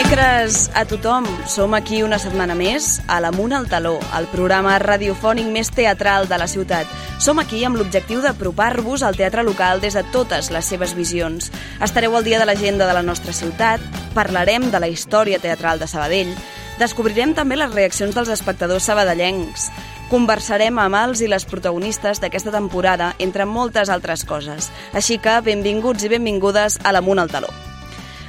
Dimecres a tothom, som aquí una setmana més a l'Amunt al Taló, el programa radiofònic més teatral de la ciutat. Som aquí amb l'objectiu d'apropar-vos al teatre local des de totes les seves visions. Estareu al dia de l'agenda de la nostra ciutat, parlarem de la història teatral de Sabadell, descobrirem també les reaccions dels espectadors sabadellencs, conversarem amb els i les protagonistes d'aquesta temporada, entre moltes altres coses. Així que benvinguts i benvingudes a l'Amunt al Taló.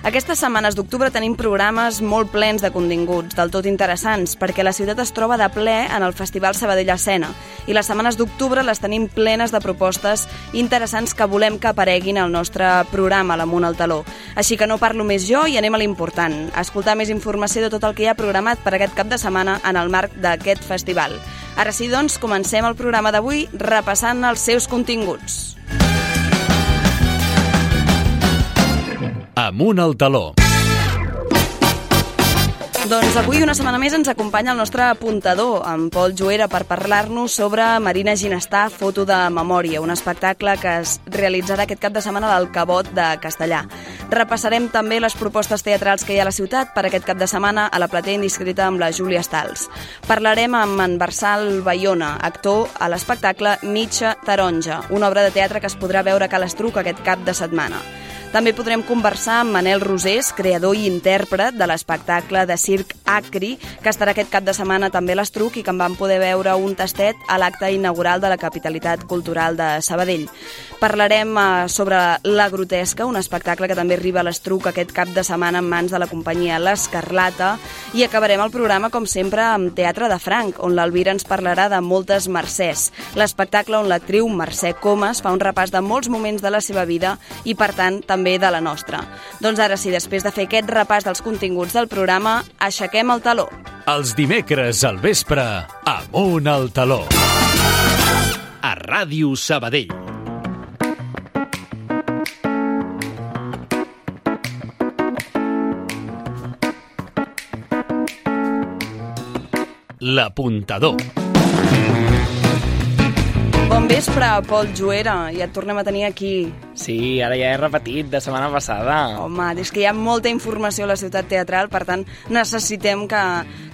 Aquestes setmanes d'octubre tenim programes molt plens de continguts, del tot interessants, perquè la ciutat es troba de ple en el Festival Sabadell Escena, i les setmanes d'octubre les tenim plenes de propostes interessants que volem que apareguin al nostre programa, l'Amunt al Taló. Així que no parlo més jo i anem a l'important, a escoltar més informació de tot el que hi ha programat per aquest cap de setmana en el marc d'aquest festival. Ara sí, doncs, comencem el programa d'avui repassant els seus continguts. Amunt al Taló. Doncs avui una setmana més ens acompanya el nostre apuntador, en Pol Juera, per parlar-nos sobre Marina Ginestà, Foto de Memòria, un espectacle que es realitzarà aquest cap de setmana al Cabot de Castellà. Repassarem també les propostes teatrals que hi ha a la ciutat per aquest cap de setmana a la platea indiscreta amb la Júlia Stals. Parlarem amb en Barsal Bayona, actor a l'espectacle Mitja Taronja, una obra de teatre que es podrà veure a Ca l'Estruc aquest cap de setmana. També podrem conversar amb Manel Rosés, creador i intèrpret de l'espectacle de circ Acri, que estarà aquest cap de setmana també a l'Estruc i que en vam poder veure un tastet a l'acte inaugural de la Capitalitat Cultural de Sabadell. Parlarem sobre La Grotesca, un espectacle que també arriba a l'Estruc aquest cap de setmana en mans de la companyia L'Escarlata, i acabarem el programa, com sempre, amb Teatre de Franc, on l'Alvira ens parlarà de Moltes Mercès, l'espectacle on l'actriu Mercè Comas fa un repàs de molts moments de la seva vida i, per tant, també de la nostra. Doncs ara sí, després de fer aquest repàs dels continguts del programa, aixequem el taló. Els dimecres al vespre, Amunt al Taló. A Ràdio Sabadell. L'apuntador. Bon vespre, Pol Juera, ja et tornem a tenir aquí. Sí, ara ja he repetit de setmana passada. Home, és que hi ha molta informació a la ciutat teatral, per tant necessitem que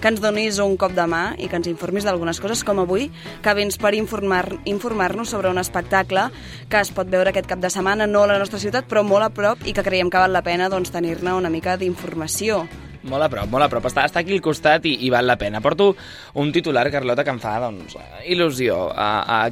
ens donis un cop de mà i que ens informis d'algunes coses, com avui, que vens per informar-nos sobre un espectacle que es pot veure aquest cap de setmana, no a la nostra ciutat, però molt a prop, i que creiem que val la pena tenir-ne una mica d'informació. Molt a prop. Està aquí al costat i val la pena. Porto un titular, Carlota, que em fa il·lusió a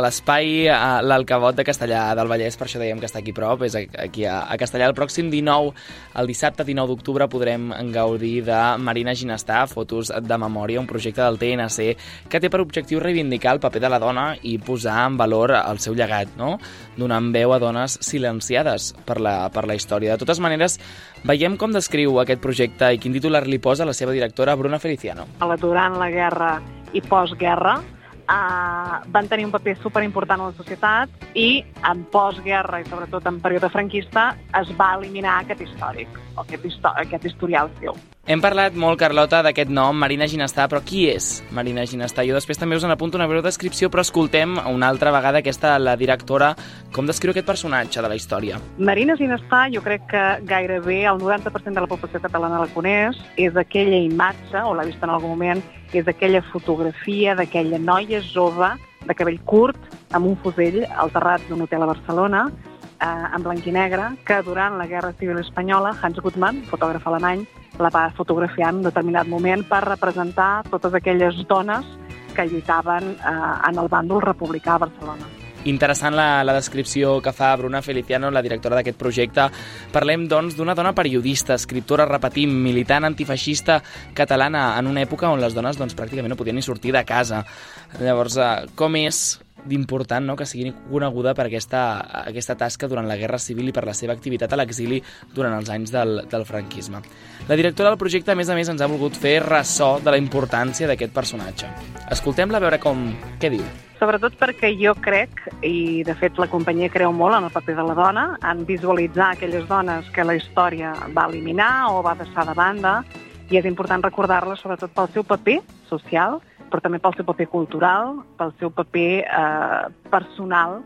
l'espai, a l'Alcabot de Castellà del Vallès, per això dèiem que està aquí prop, és aquí a Castellà. El pròxim 19, el dissabte 19 d'octubre, podrem gaudir de Marina Ginestà, Fotos de Memòria, un projecte del TNC que té per objectiu reivindicar el paper de la dona i posar en valor el seu llegat, no? Donant veu a dones silenciades per la història. De totes maneres, veiem com descriu aquest projecte i quin titular li posa la seva directora, Bruna Feliciano. Durant la guerra i postguerra van tenir un paper superimportant a la societat i en postguerra i sobretot en període franquista es va eliminar aquest històric, aquest historial seu. Hem parlat molt, Carlota, d'aquest nom, Marina Ginestà, però qui és Marina Ginestà? Jo després també us en apunto una breu descripció, però escoltem una altra vegada la directora, com descriu aquest personatge de la història. Marina Ginestà, jo crec que gairebé el 90% de la població catalana la coneix, és aquella imatge, o l'ha vist en algun moment, és aquella fotografia d'aquella noia jove de cabell curt, amb un fusell al terrat d'un hotel a Barcelona, en blanc i negre, que durant la Guerra Civil Espanyola, Hans Gutmann, fotògraf alemany, la va fotografiar en un determinat moment per representar totes aquelles dones que lluitaven en el bàndol republicà a Barcelona. Interessant la descripció que fa Bruna Feliciano, la directora d'aquest projecte. Parlem, doncs, d'una dona periodista, escriptora, repetim, militant antifeixista catalana en una època on les dones pràcticament no podien ni sortir de casa. Llavors, com és d'important, no?, que sigui coneguda per aquesta tasca durant la Guerra Civil i per la seva activitat a l'exili durant els anys del franquisme. La directora del projecte, a més, ens ha volgut fer ressò de la importància d'aquest personatge. Escoltem-la a veure què diu. Sobretot perquè jo crec, i de fet la companyia creu molt en el paper de la dona, en visualitzar aquelles dones que la història va eliminar o va deixar de banda, i és important recordar-les sobretot pel seu paper social, però també pel seu paper cultural, pel seu paper personal,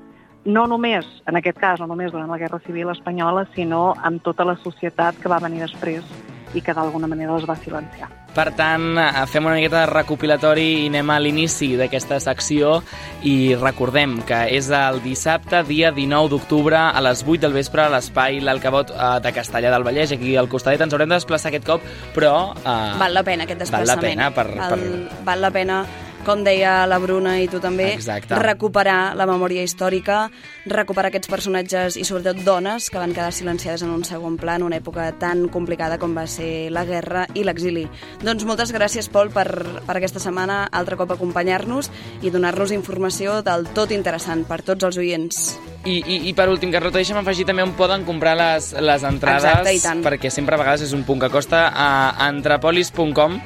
no només, en aquest cas, no només durant la Guerra Civil Espanyola, sinó amb tota la societat que va venir després i que d'alguna manera les va silenciar. Per tant, fem una miqueta de recopilatori i anem a l'inici d'aquesta secció i recordem que és el dissabte, dia 19 d'octubre, a les 8 del vespre, a l'espai L'Alcavot de Castellar del Vallès. Aquí al costadet ens haurem de desplaçar aquest cop, però... Val la pena aquest desplaçament. Val la pena, com deia la Bruna i tu també, recuperar la memòria històrica, recuperar aquests personatges i sobretot dones que van quedar silenciades en un segon pla en una època tan complicada com va ser la guerra i l'exili. Doncs moltes gràcies, Pol, per aquesta setmana altre cop acompanyar-nos i donar-nos informació del tot interessant per tots els oients. I per últim, Carlota, deixa'm afegir també on poden comprar les entrades. Exacte, i tant. Perquè sempre a vegades és un punt que costa a antrapolis.com.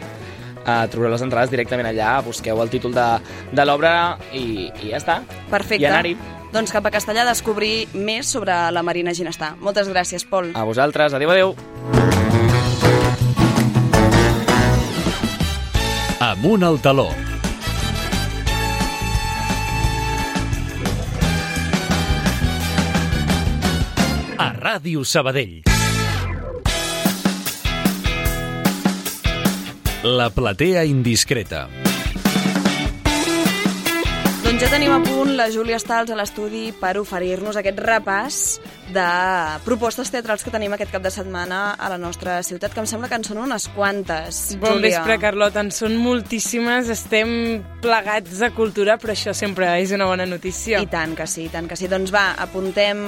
Trobareu les entrades directament allà, busqueu el títol de l'obra i ja està. Perfecte. I anar-hi. Doncs cap a Castellar a descobrir més sobre la Marina Ginestà. Moltes gràcies, Pol. A vosaltres. Adéu, adéu. Amunt al taló. A Ràdio Sabadell. La platea indiscreta. Doncs ja tenim a punt la Júlia Stals a l'estudi per oferir-nos aquest repàs de propostes teatrals que tenim aquest cap de setmana a la nostra ciutat, que em sembla que en són unes quantes. Bon Júlia. vespre, Carlota, en són moltíssimes, estem plegats de cultura, però això sempre és una bona notícia. I tant que sí, i tant que sí. Doncs va, apuntem...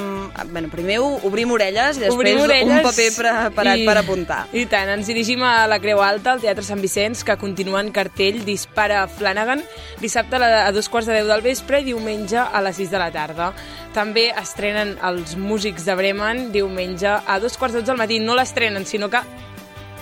Bueno, primer obrim orelles i després un paper preparat per apuntar. I tant, ens dirigim a la Creu Alta, al Teatre Sant Vicenç, que continua en cartell Dispara Flanagan, dissabte a 2:15 del vespre i diumenge a les 6 de la tarda. També estrenen els Músics de Bremen diumenge a 2:15 del matí. No l'estrenen, sinó que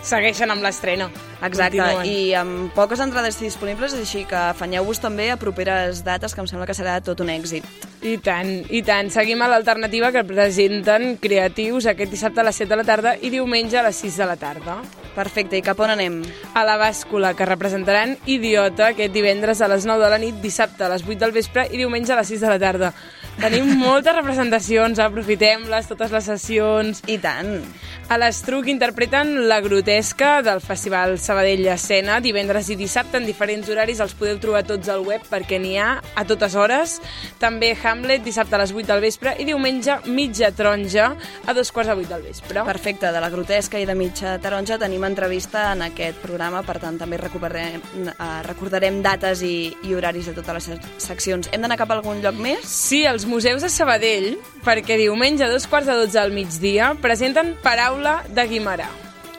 segueixen amb l'estrena. Exacte, Continuen. i amb poques entrades disponibles, així que afanyeu-vos també a properes dates, que em sembla que serà tot un èxit. I tant, i tant. Seguim a l'alternativa que presenten Creatius aquest dissabte a les 7 de la tarda i diumenge a les 6 de la tarda. Perfecte, i cap on anem? A la Bàscula, que representaran Idiota aquest divendres a les 9 de la nit, dissabte a les 8 del vespre i diumenge a les 6 de la tarda. Tenim moltes representacions, aprofitem-les, totes les sessions. I tant. A l'Estruc interpreten La Grotesca del Festival Sabadell Escena, divendres i dissabte en diferents horaris, els podeu trobar tots al web perquè n'hi ha a totes hores. També Hamlet, dissabte a les 8 del vespre i diumenge Mitja Taronja a 2:15 del vespre. Perfecte, de La Grotesca i de Mitja Taronja tenim entrevista en aquest programa, per tant també recordarem dates i horaris de totes les seccions. Hem d'anar cap a algun lloc més? Sí, els museus de Sabadell, perquè diumenge a 2:15 al migdia presenten Paraula de Guimerà.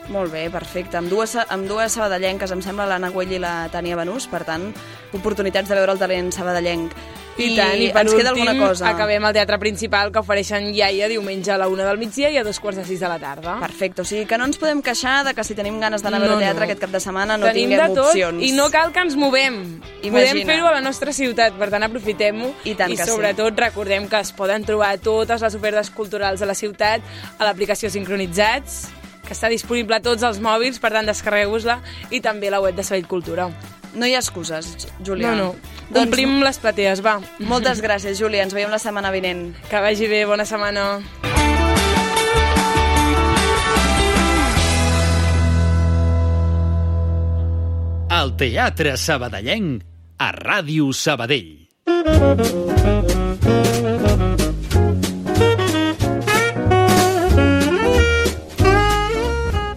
Molt bé, perfecte. Amb dues sabadellenques, em sembla, l'Anna Güell i la Tània Banús, per tant, oportunitats de veure el talent sabadellenc. I tant, i per ens queda alguna últim cosa. acabem al Teatre Principal, que ofereixen Iaia diumenge a la 1 del migdia i a 2:15 de la tarda. Perfecte, o sigui que no ens podem queixar de que si tenim ganes d'anar a veure teatre aquest cap de setmana no Tenim tinguem de tot, opcions. I no cal que ens movem. Podem fer-ho a la nostra ciutat, per tant aprofitem-ho. I tant que sí. Sobretot recordem que es poden trobar totes les ofertes culturals de la ciutat a l'aplicació Sincronitzats, que està disponible a tots els mòbils, per tant descarregueu-vos-la, i també la web de Sabadell Cultura. No hi ha excuses, Júlia. No. Omplim les platees, va. Moltes gràcies, Júlia. Ens veiem la setmana vinent. Que vagi bé, bona setmana. El Teatre Sabadellenc a Ràdio Sabadell.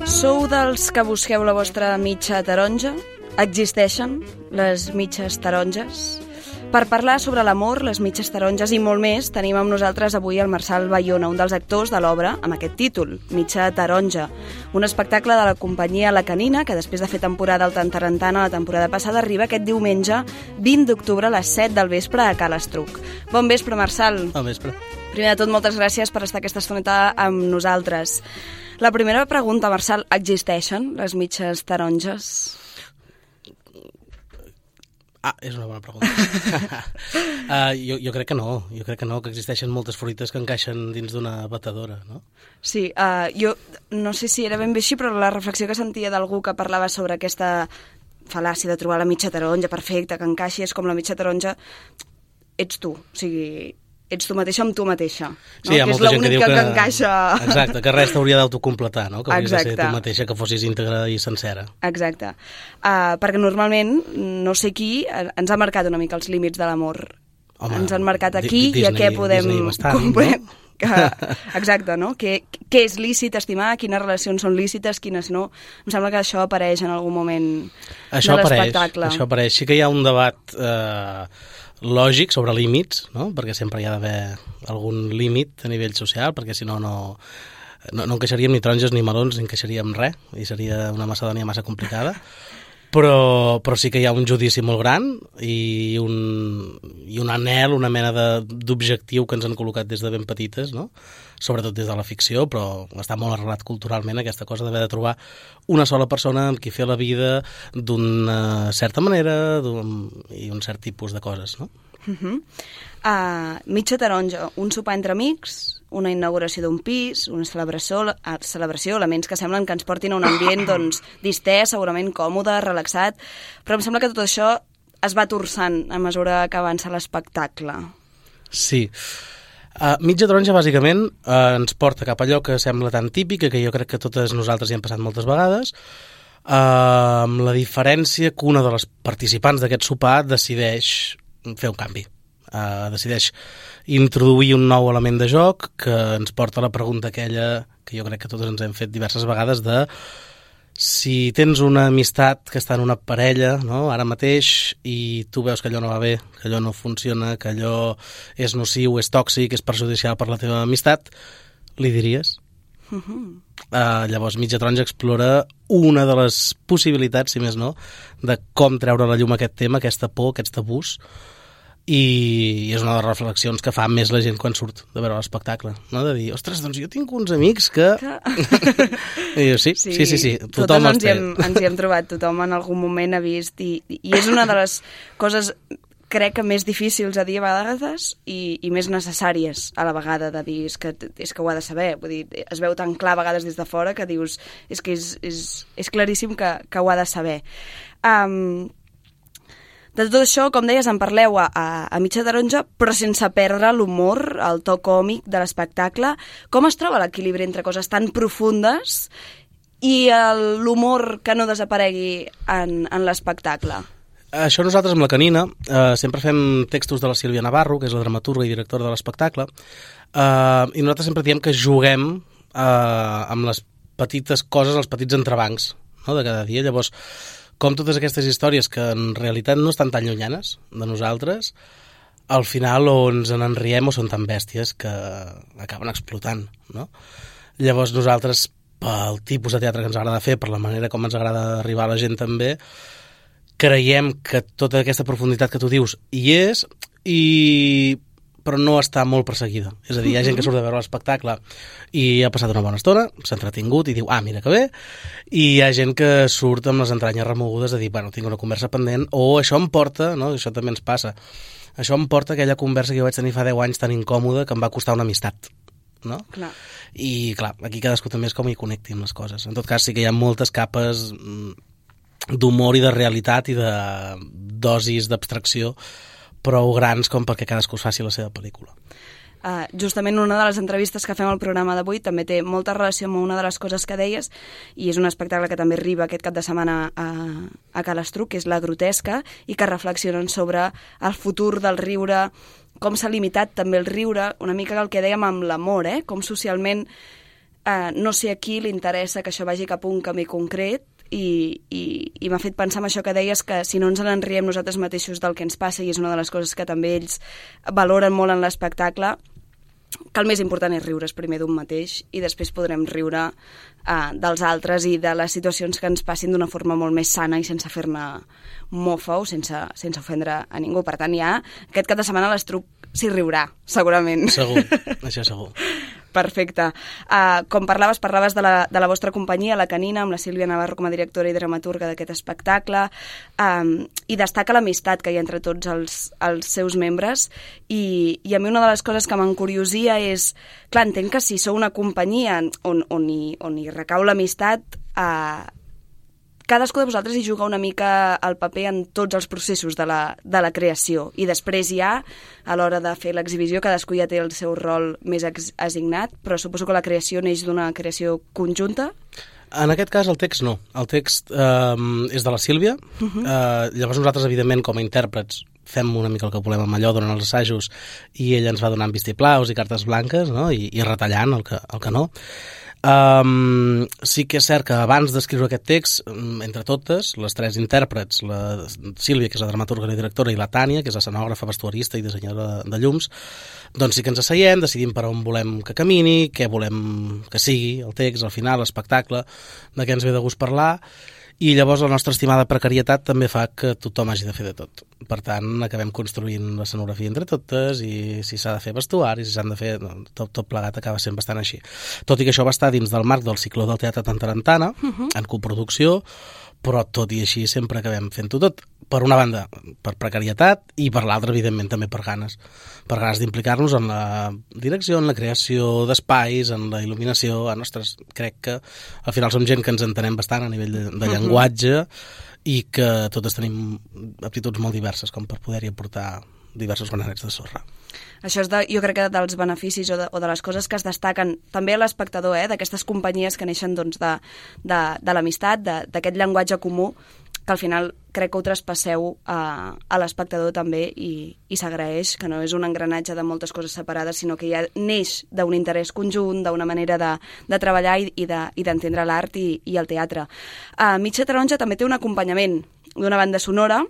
Sou dels que busqueu la vostra mitja taronja? Existeixen les mitges taronges? Per parlar sobre l'amor, les mitges taronges i molt més, tenim amb nosaltres avui el Marçal Bayona, un dels actors de l'obra amb aquest títol, Mitja Taronja, un espectacle de la companyia La Canina, que després de fer temporada al Tantarantana la temporada passada, arriba aquest diumenge 20 d'octubre a les 7 del vespre a Ca l'Estruc. Bon vespre, Marçal. Bon vespre. Primer de tot, moltes gràcies per estar aquesta estoneta amb nosaltres. La primera pregunta, Marçal, existeixen les mitges taronges? És una bona pregunta. Jo crec que no. Jo crec que no, que existeixen moltes fruites que encaixen dins d'una batedora, no? Sí, jo no sé si era ben bé així, però la reflexió que sentia d'algú que parlava sobre aquesta fal·làcia de trobar la mitja taronja perfecta, que encaixi, és com la mitja taronja ets tu. O sigui, ets tu mateixa amb tu mateixa. No? Sí, hi ha molta gent que diu que encaixa... Exacte, que res t'hauria d'autocompletar, no? Que hauries de ser Exacte. tu mateixa, que fossis íntegra i sencera. Exacte. Perquè normalment, no sé qui, ens ha marcat una mica els límits de l'amor. Home, Ens han marcat aquí Disney, i a què podem... Disney bastant, no? Exacte, no? Què és lícit estimar, quines relacions són lícites, quines no. Em sembla que això apareix en algun moment de l'espectacle. Això apareix. Sí que hi ha un debat lògic sobre límits, no? Perquè sempre hi ha d'haver algun límit a nivell social, perquè si no encaixaríem ni taronges ni melons, ni encaixaríem res, i seria una macedònia massa complicada. Però sí que hi ha un judici molt gran i un anhel, una mena d'objectiu que ens han col·locat des de ben petites, no? Sobretot des de la ficció, però està molt arrelat culturalment aquesta cosa d'haver de trobar una sola persona amb qui fer la vida d'una certa manera i un cert tipus de coses, no? Mitja taronja, un sopar entre amics, una inauguració d'un pis, una celebració, elements que semblen que ens portin a un ambient doncs, distès, segurament còmode, relaxat, però em sembla que tot això es va torçant a mesura que avança l'espectacle. Sí. Mitja taronja, bàsicament, ens porta cap a allò que sembla tan típic, que jo crec que totes nosaltres hi hem passat moltes vegades, amb la diferència que una de les participants d'aquest sopar decideix fer un canvi. Decideix introduir un nou element de joc que ens porta a la pregunta aquella que jo crec que totes ens hem fet diverses vegades de si tens una amistat que està en una parella, no? Ara mateix, i tu veus que allò no va bé, que allò no funciona, que allò és nociu, és tòxic, és perjudicial per la teva amistat, li diries? Llavors Mitja taronja explora una de les possibilitats, si més no, de com treure a la llum aquest tema, aquesta por, aquests tabús, i és una de les reflexions que fa més la gent quan surt de veure l'espectacle, no? De dir, ostres, doncs jo tinc uns amics que... I diu, sí, tothom els té. Ens hi hem trobat, tothom en algun moment ha vist, i és una de les coses, crec que més difícils a dir a vegades i més necessàries a la vegada de dir, és que ho ha de saber, vull dir, es veu tan clar a vegades des de fora que dius, és que és claríssim que ho ha de saber. De tot això, com deies, en parleu a Mitja taronja, però sense perdre l'humor, el to còmic de l'espectacle. Com es troba l'equilibri entre coses tan profundes i l'humor que no desaparegui en l'espectacle? Això nosaltres amb la Canina sempre fem textos de la Sílvia Navarro, que és la dramaturga i directora de l'espectacle, i nosaltres sempre diem que juguem amb les petites coses, els petits entrebancs, no?, de cada dia. Llavors, com totes aquestes històries que en realitat no estan tan llunyanes de nosaltres, al final o ens en riem o són tan bèsties que acaben explotant, no? Llavors nosaltres, pel tipus de teatre que ens agrada fer, per la manera com ens agrada arribar a la gent també, creiem que tota aquesta profunditat que tu dius hi és, però no està molt perseguida. És a dir, hi ha gent que surt de veure l'espectacle i ha passat una bona estona, s'ha entretingut i diu, mira que bé, i hi ha gent que surt amb les entranyes remogudes de dir, bueno, tinc una conversa pendent, o això em porta, no?, això també ens passa, això em porta a aquella conversa que jo vaig tenir fa 10 anys tan incòmoda que em va costar una amistat, no? Clar. I clar, aquí cadascú també és com hi connecti amb les coses. En tot cas sí que hi ha moltes capes d'humor i de realitat i de dosis d'abstracció prou grans com perquè cadascú es faci la seva pel·lícula. Justament una de les entrevistes que fem al programa d'avui també té molta relació amb una de les coses que deies, i és un espectacle que també arriba aquest cap de setmana a Calestruc, que és La grotesca, i que reflexionen sobre el futur del riure, com s'ha limitat també el riure, una mica el que dèiem amb l'amor, com socialment no sé a qui li interessa que això vagi cap a un camí concret, i m'ha fet pensar en això que deies, que si no ens en riem nosaltres mateixos del que ens passa, i és una de les coses que també ells valoren molt en l'espectacle, que el més important és riure's primer d'un mateix i després podrem riure dels altres i de les situacions que ens passin d'una forma molt més sana i sense fer-ne mofa o sense ofendre a ningú. Per tant, ja aquest cap de setmana l'Estruc s'hi riurà, segurament. Segur, això segur. Perfecte. Com parlaves de la vostra companyia, la Canina, amb la Sílvia Navarro com a directora i dramaturga d'aquest espectacle, i destaca l'amistat que hi ha entre tots els seus membres, i a mi una de les coses que m'encuriosia és, clar, entenc que si sou una companyia on hi recau l'amistat, cadascú de vosaltres hi juga una mica el paper en tots els processos de la creació, i després ja, a l'hora de fer l'exhibició, cadascú ja té el seu rol més assignat, però suposo que la creació neix d'una creació conjunta? En aquest cas, el text no. El text és de la Sílvia. Llavors nosaltres, evidentment, com a intèrprets, fem una mica el que volem amb allò durant els assajos, i ella ens va donant vistiplaus i cartes blanques, no? I retallant el que no. Sí que és cert que abans d'escriure aquest text, entre totes, les tres intèrprets, la Sílvia, que és la dramaturga i directora, i la Tània, que és escenògrafa, vestuarista i dissenyadora de llums, doncs sí que ens asseiem, decidim per on volem que camini, què volem que sigui el text, al final, l'espectacle, de què ens ve de gust parlar, i llavors la nostra estimada precarietat també fa que tothom hagi de fer de tot. Per tant, acabem construint l'escenografia entre totes, i si s'ha de fer vestuari, si s'han de fer... Tot plegat acaba sent bastant així. Tot i que això va estar dins del marc del cicló del Teatre Tantarantana, en coproducció, però tot i així sempre acabem fent-ho tot. Per una banda, per precarietat, i per l'altra, evidentment, també per ganes d'implicar-nos en la direcció, en la creació d'espais, en la il·luminació. Ostres, crec que al final som gent que ens entenem bastant a nivell de llenguatge, i que totes tenim aptituds molt diverses com per poder-hi aportar diversos granets de sorra. Això és, jo crec que dels beneficis o de les coses que es destaquen també a l'espectador, d'aquestes companyies que neixen doncs, de l'amistat, d'aquest llenguatge comú, que al final crec que ho traspasseu a l'espectador també, i s'agraeix, que no és un engranatge de moltes coses separades, sinó que ja neix d'un interès conjunt, d'una manera de treballar i d'entendre l'art i el teatre. Mitja Taronja també té un acompanyament d'una banda sonora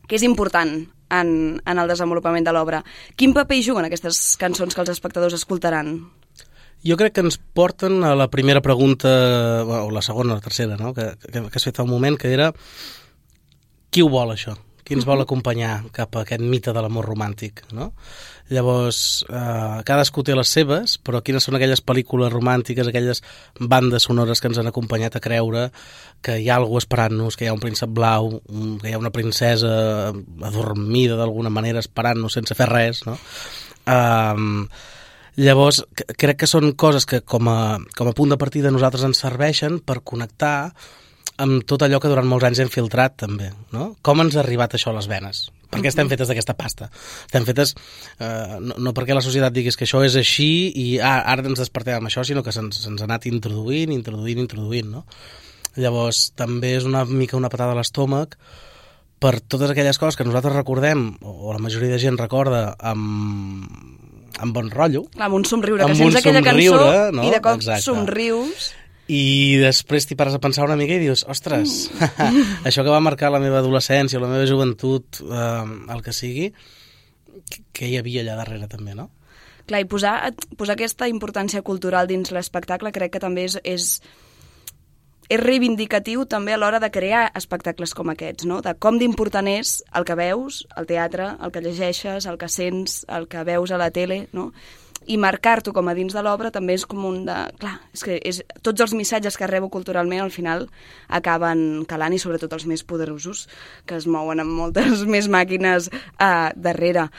que és important en el desenvolupament de l'obra. Quin paper hi juguen aquestes cançons que els espectadors escoltaran? Jo crec que ens porten a la primera pregunta, o la segona o la tercera, no? que has fet fa un moment, que era qui ho vol, això? Qui ens vol acompanyar cap a aquest mite de l'amor romàntic, no? Llavors, cadascú té les seves, però quines són aquelles pel·lícules romàntiques, aquelles bandes sonores que ens han acompanyat a creure que hi ha algú esperant-nos, que hi ha un príncep blau, que hi ha una princesa adormida d'alguna manera esperant-nos sense fer res, no? Llavors, crec que són coses que com a punt de partida nosaltres ens serveixen per connectar amb tot allò que durant molts anys hem filtrat també, no? Com ens ha arribat això a les venes? Per què estem fetes d'aquesta pasta? Estem fetes no perquè la societat diguis que això és així i ara ens despertem amb això, sinó que se'ns ha anat introduint, no? Llavors, també és una mica una patada a l'estómac per totes aquelles coses que nosaltres recordem, o la majoria de gent recorda, amb bon rotllo. Clar, amb un somriure, que sents aquella cançó, no? I de cop somrius. I després t'hi pares a pensar una mica i dius, ostres, això que va marcar la meva adolescència, la meva joventut, el que sigui, què hi havia allà darrere també, no? Clar, i posar aquesta importància cultural dins l'espectacle crec que també és reivindicatiu també a l'hora de crear espectacles com aquests, no? De com d'important és el que veus, el teatre, el que llegeixes, el que sents, el que veus a la tele, no? I marcar-t'ho com a dins de l'obra també és com un de... Clar, és que tots els missatges que rebo culturalment al final acaben calant, i sobretot els més poderosos, que es mouen amb moltes més màquines darrere.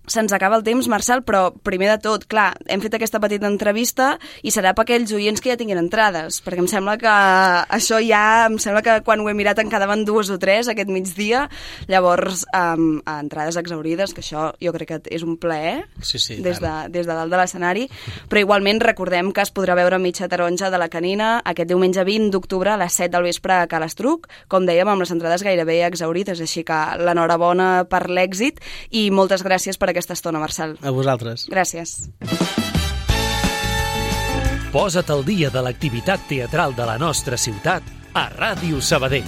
Se'ns acaba el temps, Marçal, però primer de tot, clar, hem fet aquesta petita entrevista i serà per aquells oients que ja tinguin entrades, perquè em sembla que això em sembla que quan ho he mirat en quedaven 2 o 3 aquest migdia, llavors entrades exaurides, que això jo crec que és un plaer, sí, des de dalt de l'escenari, però igualment recordem que es podrà veure Mitja Taronja de la Canina aquest diumenge 20 d'octubre a les 7 del vespre a Cal Estruc, com dèiem, amb les entrades gairebé exaurides, així que l'enhorabona per l'èxit i moltes gràcies per aquesta estona, Marçal. A vosaltres. Gràcies. Posa't al dia de l'activitat teatral de la nostra ciutat a Ràdio Sabadell.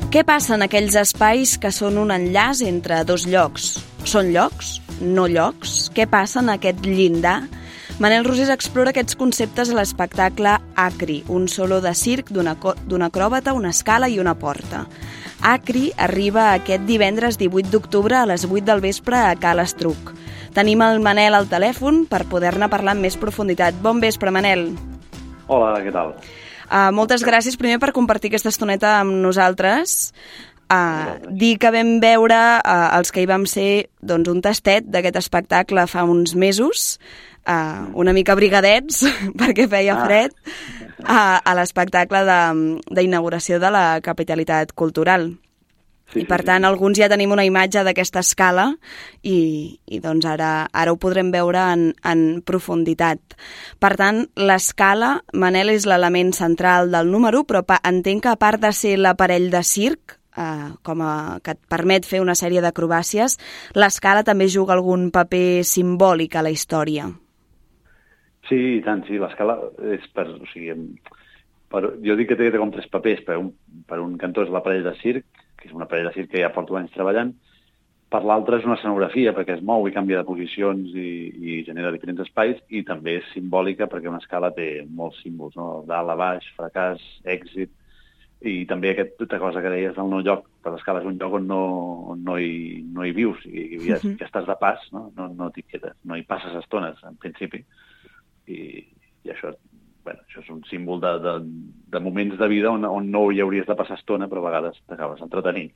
Què passa en aquells espais que són un enllaç entre dos llocs? Són llocs? No llocs? Què passa en aquest llindar? Manel Rosés explora aquests conceptes a l'espectacle Acri, un solo de circ d'un acròbata, una escala i una porta. Acri arriba aquest divendres 18 d'octubre a les 8 del vespre a Cal Estruc. Tenim el Manel al telèfon per poder-ne parlar amb més profunditat. Bon vespre, Manel. Hola, què tal? Moltes gràcies primer per compartir aquesta estoneta amb nosaltres. dir que vam veure, els que hi vam ser, doncs, un tastet d'aquest espectacle fa uns mesos, una mica brigadets, perquè feia fred, a l'espectacle d'inauguració de la capitalitat cultural. I per tant, alguns ja tenim una imatge d'aquesta escala i doncs ara ho podrem veure en profunditat. Per tant, l'escala, Manel, és l'element central del número, però entenc que a part de ser l'aparell de circ, que et permet fer una sèrie d'acrobàcies, l'escala també juga algun paper simbòlic a la història. Sí, i tant, sí. L'escala és jo dic que té com tres papers. Per un cantó és l'aparell de circ, que és una parella de circ que ja porto anys treballant. Per l'altre és una escenografia, perquè es mou i canvia de posicions i genera diferents espais, i també és simbòlica perquè una escala té molts símbols, no? Dalt a baix, fracàs, èxit, i també aquesta cosa que deies del no lloc. Per l'escala és un lloc on no hi vius, i ja estàs de pas, no t'hi quedes, no hi passes estones, en principi. I això és un símbol de moments de vida on no hi hauries de passar estona, però a vegades t'acabes entretenint.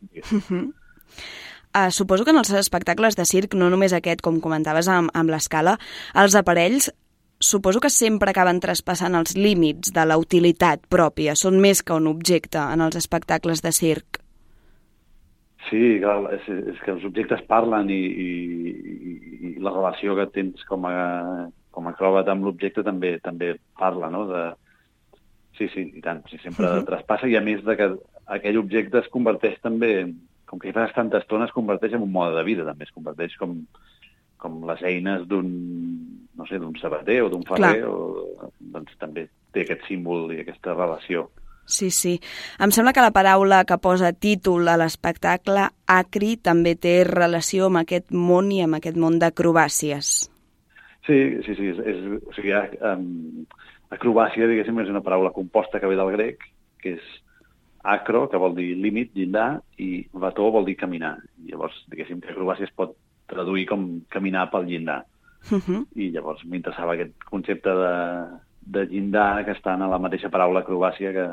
Suposo que en els espectacles de circ, no només aquest, com comentaves amb l'escala, els aparells suposo que sempre acaben traspassant els límits de la utilitat pròpia. Són més que un objecte en els espectacles de circ. Sí, clar, és que els objectes parlen i la relació que tens com a acròbata amb l'objecte també parla, no? Sí, i tant, sempre traspassa, i a més de que aquell objecte es converteix també, com que hi fas tanta estona, es converteix en un mode de vida, també es converteix com les eines d'un sabater o d'un ferrer, doncs també té aquest símbol i aquesta relació. Sí. Em sembla que la paraula que posa títol a l'espectacle, acri, també té relació amb aquest món i amb aquest món d'acrobàcies. Sí. Acrobàcia, diguéssim, és una paraula composta que ve del grec, que és acro, que vol dir límit, llindar, i bató vol dir caminar. Llavors, diguéssim, que acrobàcia es pot traduir com caminar pel llindar. I llavors m'interessava aquest concepte de llindar que està en la mateixa paraula acrobàcia que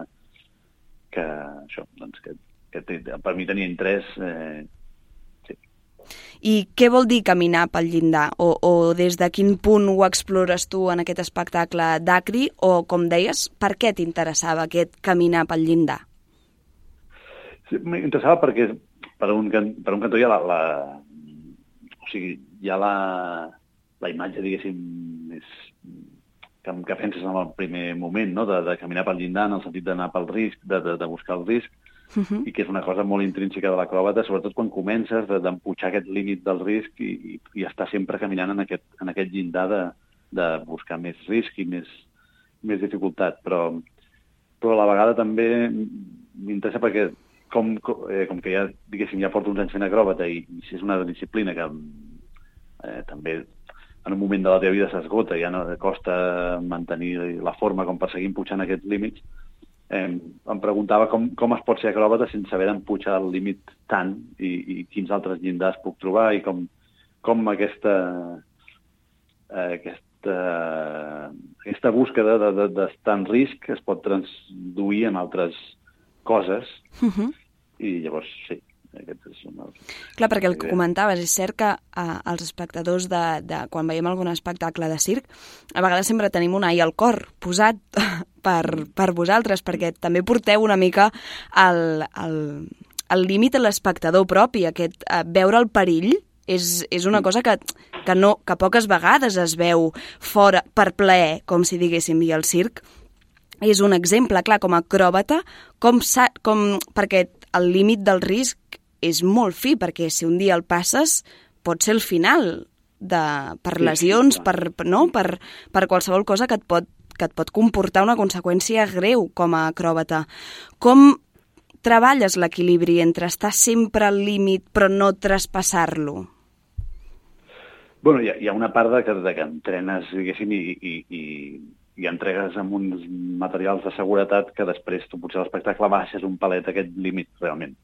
això, doncs, que per mi tenia interès. I què vol dir caminar pel llindar? O des de quin punt ho explores tu en aquest espectacle d'Acri? O, com deies, per què t'interessava aquest caminar pel llindar? Sí, m'interessava perquè per un cantó hi ha la imatge, diguéssim, que penses en el primer moment, no? De caminar pel llindar en el sentit d'anar pel risc, de buscar el risc, i que és una cosa molt intrínseca de l'acròbata, sobretot quan comences d'empujar aquest límit del risc i estar sempre caminant en aquest llindar de buscar més risc i més dificultat. Però a la vegada també m'interessa perquè com que ja, diguéssim, ja porto uns anys fent acròbata i és una disciplina que també en un moment de la teva vida s'esgota, ja no costa mantenir la forma com per seguir empujant aquests límits. Em preguntava com es pot ser acròbata sense haver d'empujar el límit tant i quins altres llindars puc trobar i com aquesta búsqueda d'estar en risc es pot traduir en altres coses. I llavors, sí, aquest és una... Clar, perquè el que comentaves, és cert que els espectadors quan veiem algun espectacle de circ, a vegades sempre tenim un ai al cor posat per vosaltres, perquè també porteu una mica el límit a l'espectador propi, veure el perill és una cosa que poques vegades es veu fora per plaer, com si diguéssim, i el circ és un exemple, clar, com a acròbata, perquè el límit del risc és molt fi, perquè si un dia el passes pot ser el final per lesions, per qualsevol cosa que et pot comportar una conseqüència greu com a acròbata. Com treballes l'equilibri entre estar sempre al límit però no traspassar-lo? Bueno, hi ha una part de que entrenes, diguéssim, i entregues amb uns materials de seguretat que després tu potser a l'espectacle baixes un palet aquest límit realment.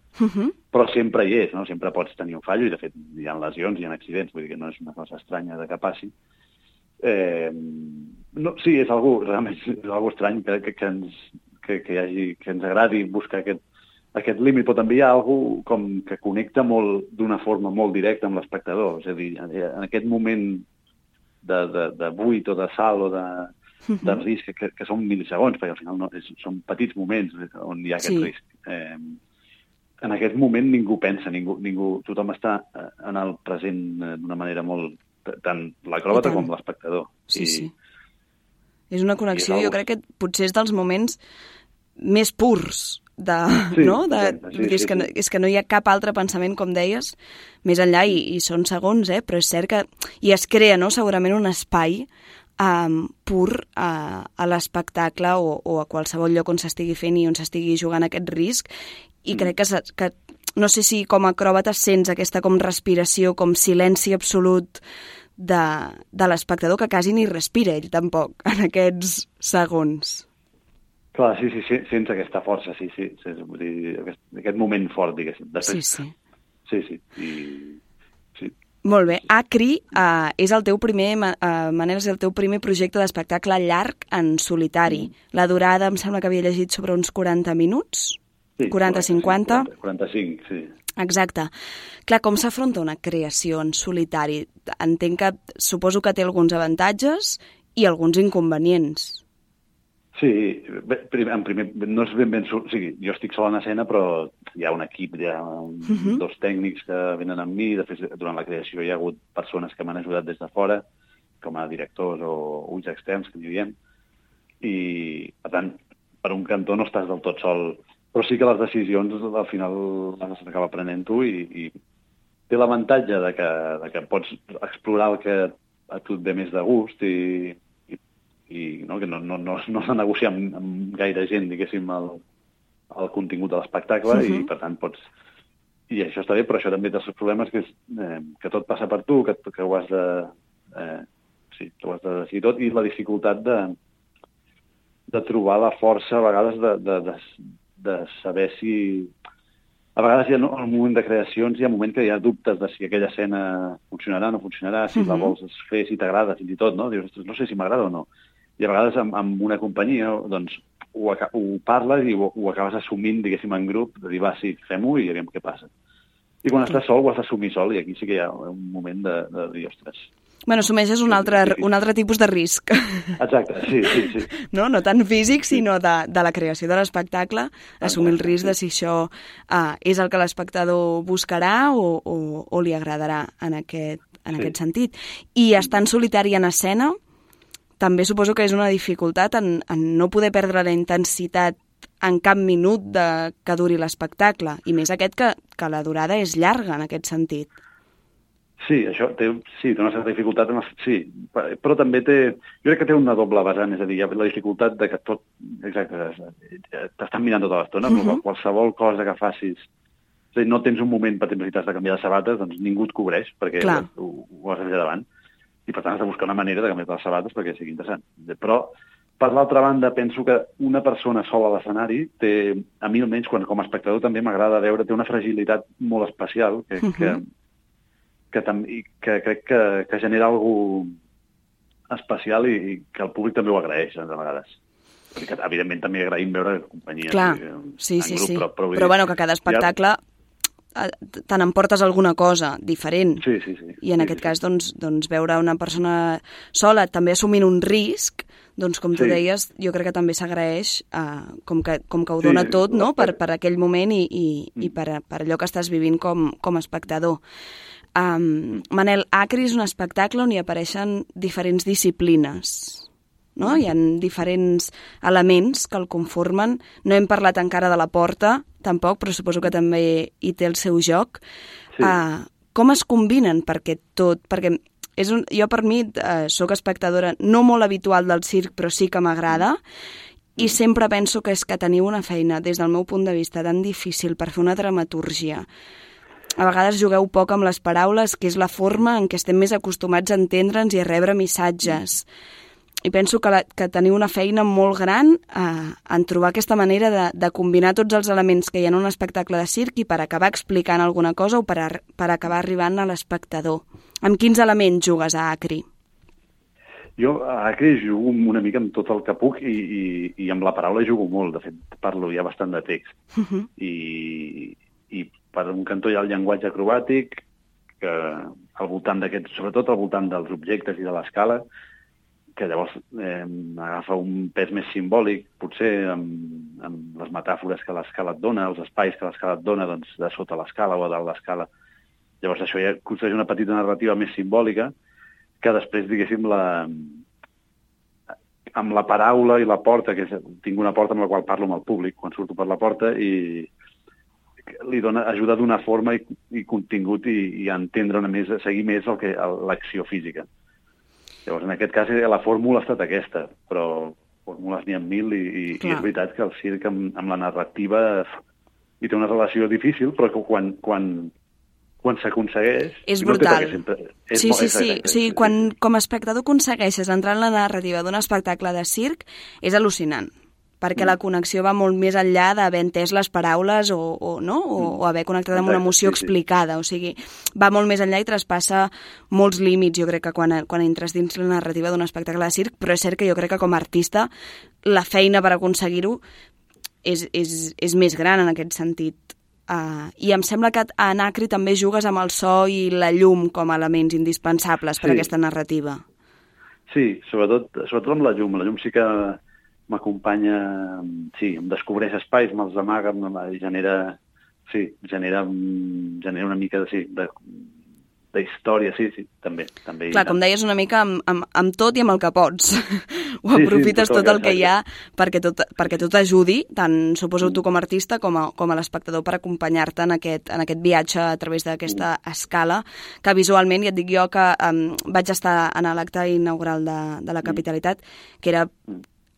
Però sempre hi és, no? Sempre pots tenir un fallo i de fet hi ha lesions, hi ha accidents, vull dir que no és una cosa estranya de que passi. Sí, realment és algo estrany que ens agradi buscar aquest límit, però també hi ha alguna com que connecta molt d'una forma molt directa amb l'espectador. És a dir, en aquest moment de buit o de salt o de risc, que són milisegons, perquè al final són petits moments on hi ha aquest risc. En aquest moment ningú pensa, tothom està en el present d'una manera molt... tant l'acròbata com l'espectador. Sí. És una connexió, jo crec que potser és dels moments més purs és que no hi ha cap altre pensament, com deies, més enllà, i són segons, però és cert que i es crea, no?, segurament un espai pur a l'espectacle o a qualsevol lloc on s'estigui fent i on s'estigui jugant aquest risc, i crec que no sé si com a acròbata sents aquesta com respiració, com silenci absolut de l'espectador, que quasi ni respira ell tampoc en aquests segons. Clar, sí, sents aquesta força, sí. Vull dir, aquest moment fort, diguéssim. Sí. Molt bé. Acri és el teu primer, Manel, és el teu primer projecte d'espectacle llarg en solitari. La durada em sembla que havia llegit sobre uns 40 minuts? Sí, 40-50? 45, sí. Exacte. Clar, com s'afronta una creació en solitari? Entenc que suposo que té alguns avantatges i alguns inconvenients. Sí, en primer, no és ben... O sigui, jo estic sol en escena, però hi ha un equip, hi ha dos tècnics que venen amb mi. De fet, durant la creació hi ha hagut persones que m'han ajudat des de fora, com a directors o ulls externs, que n'hi diem. I, per tant, per un cantó no estàs del tot sol, però sí que les decisions al final les has d'acabar prenent tu i té l'avantatge de que pots explorar el que a tu et ve més de gust i no, que no has de negociar amb gaire gent, diguéssim, el contingut de l'espectacle i per tant pots... I això està bé, però això també té els seus problemes, que és que tot passa per tu, que ho has de... que ho has de decidir tot, i la dificultat de trobar la força a vegades de saber si... A vegades hi ha, en un moment de creacions hi ha moment que hi ha dubtes de si aquella escena funcionarà o no funcionarà, si la vols fer, si t'agrada, fins i tot, no? Dius, no sé si m'agrada o no. I a vegades amb una companyia doncs, ho parles i ho acabes assumint, diguéssim, en grup, de dir, va, sí, fem-ho i aviam què passa. I quan estàs sol ho has d'assumir sol i aquí sí que hi ha un moment de dir, ostres... Bueno, assumeixes un altre tipus de risc. Exacte, sí. No tant físic, sinó de la creació de l'espectacle, assumir el risc de si això és el que l'espectador buscarà o li agradarà en aquest sentit. I estant solitari en escena, també suposo que és una dificultat en no poder perdre la intensitat en cap minut que duri l'espectacle, i més aquest que la durada és llarga en aquest sentit. Sí, això té una certa dificultat, sí, però també jo crec que té una doble vessant, és a dir, hi ha la dificultat de que tot, exacte, t'estan mirant tota l'estona, qualsevol cosa que facis, és a dir, no tens un moment, per exemple, si t'has de canviar de sabates, doncs ningú et cobreix, perquè ho has de fer davant, i per tant has de buscar una manera de canviar les sabates perquè sigui interessant. Però, per l'altra banda, penso que una persona sola a l'escenari té, a mi almenys, com a espectador també m'agrada veure, té una fragilitat molt especial que crec que genera alguna especial i que el públic també ho agraeix, a vegades. Perquè, evidentment, també agraïm veure companyies. Clar, sí. Però bueno, que cada espectacle te n'emportes alguna cosa diferent. Sí. I en aquest cas, doncs, veure una persona sola també assumint un risc, doncs, com tu deies, jo crec que també s'agraeix com que ho dona tot, no?, per aquell moment i per allò que estàs vivint com a espectador. Manel, Acri és un espectacle on hi apareixen diferents disciplines, no? Hi ha diferents elements que el conformen. No hem parlat encara de la porta, tampoc, però suposo que també hi té el seu joc. Sí. Com es combinen perquè jo per mi sóc espectadora no molt habitual del circ, però sí que m'agrada, i sempre penso que és que teniu una feina, des del meu punt de vista, tan difícil per fer una dramatúrgia. A vegades jugueu poc amb les paraules, que és la forma en què estem més acostumats a entendre'ns i a rebre missatges. I penso que teniu una feina molt gran en trobar aquesta manera de combinar tots els elements que hi ha en un espectacle de circ i per acabar explicant alguna cosa o per acabar arribant a l'espectador. Amb quins elements jugues a Acri? Jo a Acre jugo una mica amb tot el que puc i amb la paraula jugo molt. De fet, parlo ja bastant de text. I per un cantó hi ha el llenguatge acrobàtic, que al voltant d'aquests, sobretot al voltant dels objectes i de l'escala, que llavors agafa un pes més simbòlic, potser amb les metàfores que l'escala et dona, els espais que l'escala et dona, doncs, de sota l'escala o a dalt l'escala. Llavors això ja construeix una petita narrativa més simbòlica, que després, diguéssim, amb la paraula i la porta, que tinc una porta amb la qual parlo amb el públic quan surto per la porta, i li ajuda a donar forma i contingut i a entendre una més, a seguir més l'acció física. Llavors, en aquest cas, la fórmula ha estat aquesta, però fórmules n'hi ha 1000 i és veritat que el circ amb la narrativa hi té una relació difícil, però que quan s'aconsegueix... És brutal. Sí, quan com a espectador aconsegueixes entrar en la narrativa d'un espectacle de circ, és al·lucinant, perquè la connexió va molt més enllà d'haver entès les paraules o haver connectat amb una emoció explicada. O sigui, va molt més enllà i traspassa molts límits, jo crec que quan entres dins la narrativa d'un espectacle de circ, però és cert que jo crec que com a artista la feina per aconseguir-ho és més gran en aquest sentit. I em sembla que a Anacri també jugues amb el so i la llum com a elements indispensables per a aquesta narrativa. Sí, sobretot amb la llum. La llum sí que m'acompanya, em descobreix espais, me'ls amaga, genera una mica de història, sí, també. Clar, com deies, una mica amb tot i amb el que pots. Ho aprofites tot el que hi ha perquè tot ajudi, tant suposo tu com a artista com a l'espectador, per acompanyar-te en aquest viatge a través d'aquesta escala, que visualment, ja et dic jo, que vaig estar en l'acte inaugural de la Capitalitat, que era...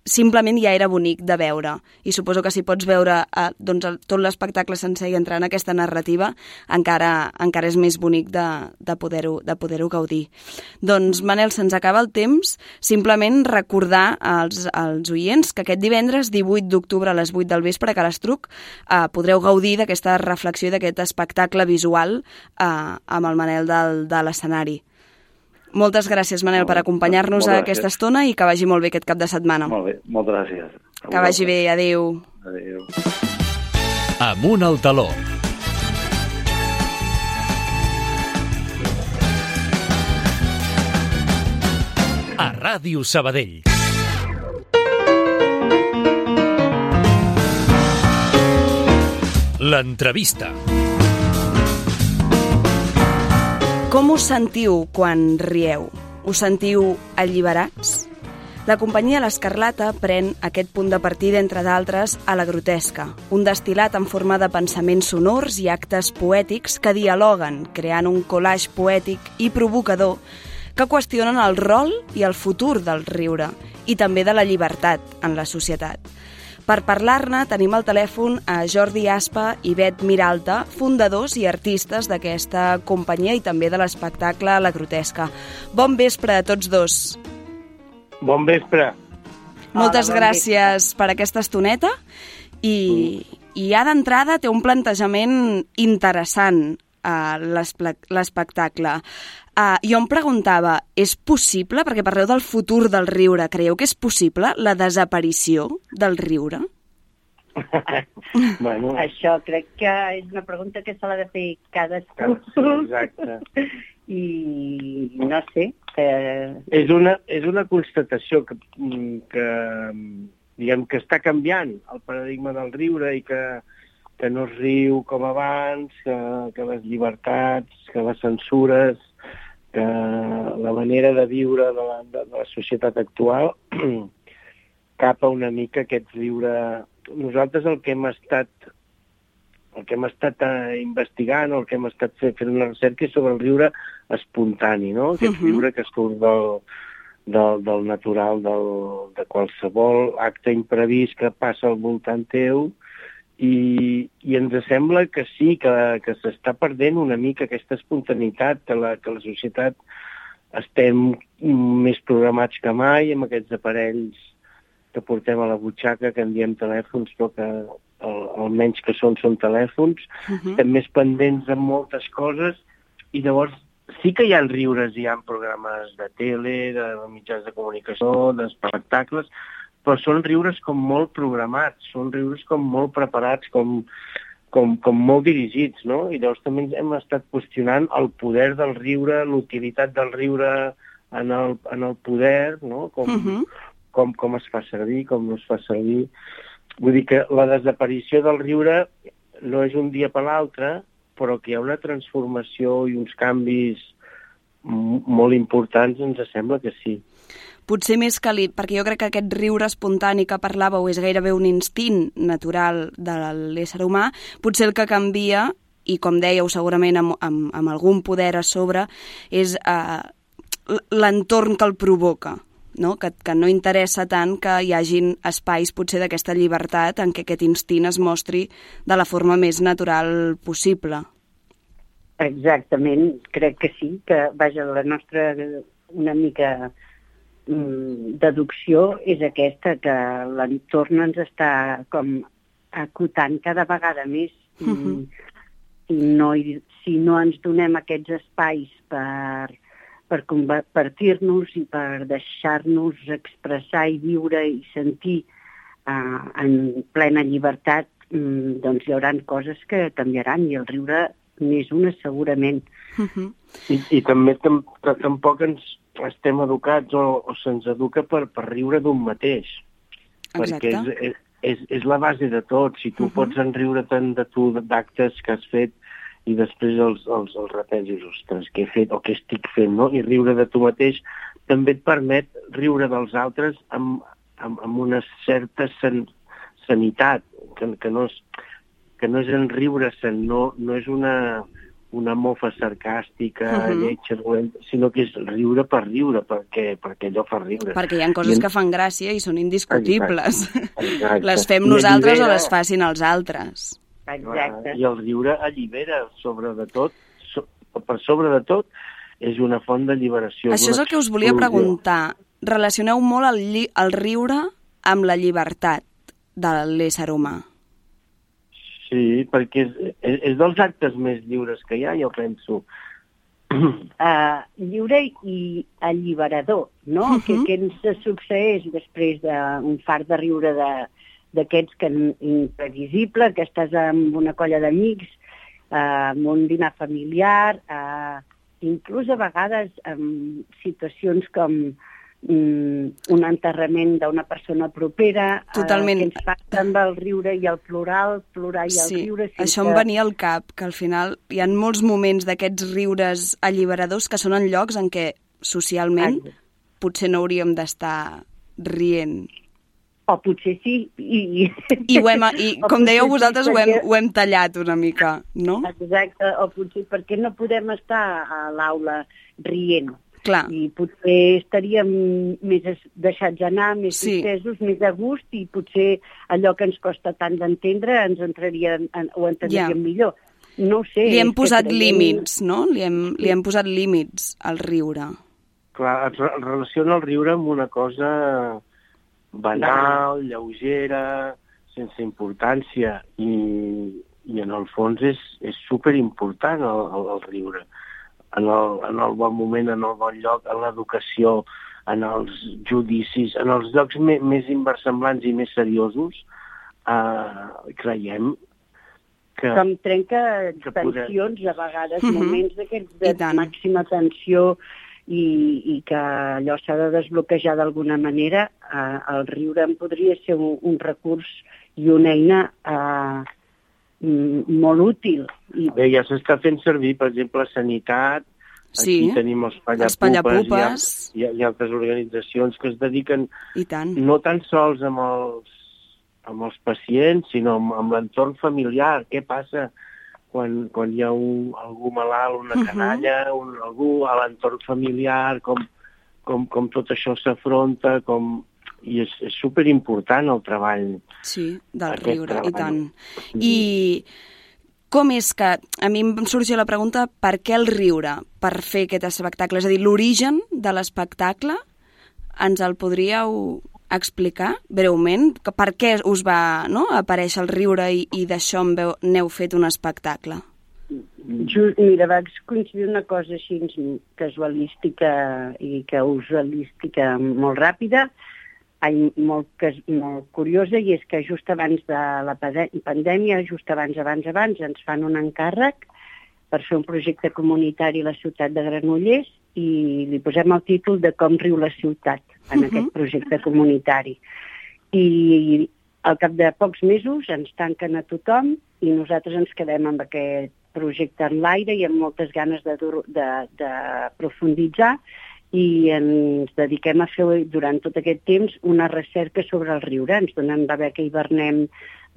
simplement ja era bonic de veure. I suposo que si pots veure tot l'espectacle sencer i entrar en aquesta narrativa, encara és més bonic de poder-ho gaudir. Doncs, Manel, se'ns acaba el temps. Simplement recordar als oients que aquest divendres, 18 d'octubre a les 8 del vespre, a Calastruc, podreu gaudir d'aquesta reflexió i d'aquest espectacle visual amb el Manel de l'escenari. Moltes gràcies, Manel, per acompanyar-nos a aquesta estona i que vagi molt bé aquest cap de setmana. Molt bé, moltes gràcies. Que vagi bé, adéu. Adéu. Amunt al taló. A Ràdio Sabadell. L'entrevista. Com us sentiu quan rieu? Us sentiu alliberats? La companyia L'Escarlata pren aquest punt de partida, entre d'altres, a la grotesca, un destil·lat en forma de pensaments sonors i actes poètics que dialoguen, creant un collage poètic i provocador que qüestionen el rol i el futur del riure i també de la llibertat en la societat. Per parlar-ne tenim al telèfon a Jordi Aspa i Bet Miralta, fundadors i artistes d'aquesta companyia i també de l'espectacle La Grotesca. Bon vespre a tots dos. Bon vespre. Moltes gràcies per aquesta estoneta i ja d'entrada té un plantejament interessant l'espectacle. Jo em preguntava, és possible, perquè parleu del futur del riure, creieu que és possible la desaparició del riure? Bueno. Això crec que és una pregunta que se l'ha de fer cadascú. Exacte. I no sé. És una constatació que diguem que està canviant el paradigma del riure i que no es riu com abans, que les llibertats, que les censures, que la manera de viure de la societat actual capa una mica aquest riure. Nosaltres el que hem estat investigant, o el que hem estat fent una recerca és sobre el riure espontani, no? Aquest riure que surt del natural, de qualsevol acte imprevist que passa al voltant teu, i ens sembla que sí, que s'està perdent una mica aquesta espontaneïtat, que la societat estem més programats que mai amb aquests aparells que portem a la butxaca, que en diem telèfons, però que almenys que són telèfons, estem més pendents de moltes coses i llavors sí que hi ha riures, hi ha programes de tele, de mitjans de comunicació, d'espectacles, però són riures com molt programats, són riures com molt preparats, com molt dirigits, no? I llavors també hem estat qüestionant el poder del riure, l'utilitat del riure en el poder, no? Com es fa servir, com no es fa servir. Vull dir que la desaparició del riure no és un dia per l'altre, però que hi ha una transformació i uns canvis molt importants, ens sembla que sí. Potser més que perquè jo crec que aquest riure espontani que parlàveu és gairebé un instint natural de l'ésser humà, potser el que canvia, i com dèieu segurament amb algun poder a sobre, és l'entorn que el provoca, no? Que no interessa tant que hi hagin espais potser d'aquesta llibertat en què aquest instint es mostri de la forma més natural possible. Exactament, crec que sí, que vaja, la nostra una mica deducció és aquesta, que l'entorn ens està com acotant cada vegada més. Si no ens donem aquests espais per compartir-nos i per deixar-nos expressar i viure i sentir en plena llibertat, doncs hi haurà coses que canviaran, i el riure n'és una segurament. I també tampoc estem educats o se'ns educa per riure d'un mateix. Exacte. Perquè és la base de tot. Si tu pots enriure tant de tu d'actes que has fet i després els repensis, ostres, què he fet o què estic fent, no? I riure de tu mateix també et permet riure dels altres amb una certa sanitat, que no és enriure-se'n, no és una mofa sarcàstica, lletja, sinó que és riure per riure, perquè allò fa riure. Perquè hi ha coses que fan gràcia i són indiscutibles. Exacte. Les fem nosaltres o les facin els altres. Exacte. I el riure allibera, per sobre de tot, és una font d'alliberació. Això és el que us volia preguntar. Relacioneu molt el riure amb la llibertat de l'ésser humà. Sí, perquè és dels actes més lliures que hi ha, jo penso. Lliure i alliberador, no? Què ens succeeix després d'un fart de riure d'aquests que imprevisible, que estàs amb una colla d'amics, amb un dinar familiar, inclús a vegades en situacions com un enterrament d'una persona propera. Totalment. Que ens passa amb el riure i el plorar i el riure. Sí, això em venia al cap, que al final hi ha molts moments d'aquests riures alliberadors que són en llocs en què socialment potser no hauríem d'estar rient. O potser sí. I com dèieu vosaltres, ho hem tallat una mica, no? Exacte, o potser perquè no podem estar a l'aula rient. Clar. I potser estaríem més deixats anar, més distesos, més a gust, i potser allò que ens costa tant d'entendre ho entendríem millor. No ho sé. Li hem posat límits, no? Li hem posat límits al riure. Clar, es relaciona el riure amb una cosa banal, lleugera, sense importància, i en el fons és superimportant el riure. En el bon moment, en el bon lloc, en l'educació, en els judicis, en els llocs més inversemblants i més seriosos, creiem que... Com trenca tensions, a vegades, moments d'aquests de màxima tensió, i que allò s'ha de desbloquejar d'alguna manera. El riure en podria ser un recurs i una eina molt útil. Bé, ja s'està fent servir, per exemple, sanitat. Aquí tenim els Pallapupes i altres organitzacions que es dediquen no tan sols amb els pacients, sinó amb l'entorn familiar. Què passa quan hi ha algú malalt, una canalla, algú a l'entorn familiar, com tot això s'afronta, i és superimportant el treball. Sí, del riure, i tant. I com és que, a mi em sorgia la pregunta, per què el riure per fer aquest espectacle? És a dir, l'origen de l'espectacle, ens el podríeu explicar breument? Per què us va aparèixer el riure i d'això n'heu fet un espectacle? Mira, va coincidir una cosa així casualística i causalística molt ràpida, molt curiosa, i és que just abans de la pandèmia, just abans, ens fan un encàrrec per fer un projecte comunitari a la ciutat de Granollers i li posem el títol de Com riu la ciutat en aquest projecte comunitari. I al cap de pocs mesos ens tanquen a tothom i nosaltres ens quedem amb aquest projecte en l'aire i amb moltes ganes de profunditzar, i ens dediquem a fer durant tot aquest temps una recerca sobre el riure. Ens donen la beca Hivernem,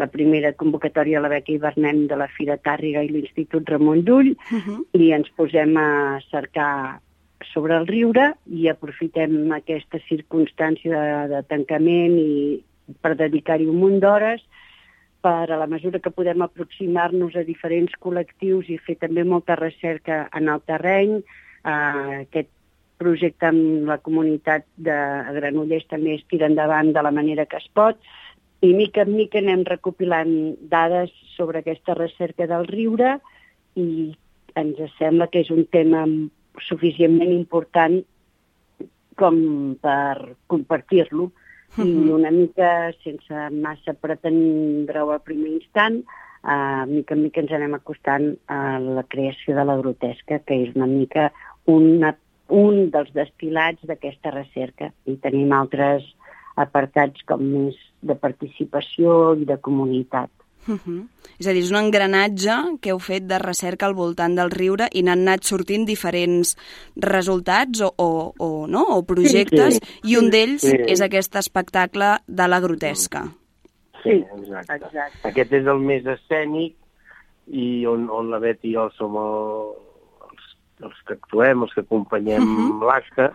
la primera convocatòria a la beca Hivernem de la Fira Tàrrega i l'Institut Ramon Llull, i ens posem a cercar sobre el riure i aprofitem aquesta circumstància de tancament i per dedicar-hi un munt d'hores per, a la mesura que podem aproximar-nos a diferents col·lectius i fer també molta recerca en el terreny. Aquest projecte amb la comunitat de Granollers també es tira endavant de la manera que es pot, i mica en mica anem recopilant dades sobre aquesta recerca del riure i ens sembla que és un tema suficientment important com per compartir-lo, i una mica, sense massa pretendre-ho al primer instant, mica en mica ens anem acostant a la creació de la grotesca, que és una mica un dels destil·lats d'aquesta recerca, i tenim altres apartats com més de participació i de comunitat. És a dir, és un engranatge que heu fet de recerca al voltant del riure i n'han anat sortint diferents resultats o projectes, i un d'ells és aquest espectacle de la grotesca. Sí, exacte. Aquest és el més escènic i on la Bet i jo som els que actuem, els que acompanyem l'acte,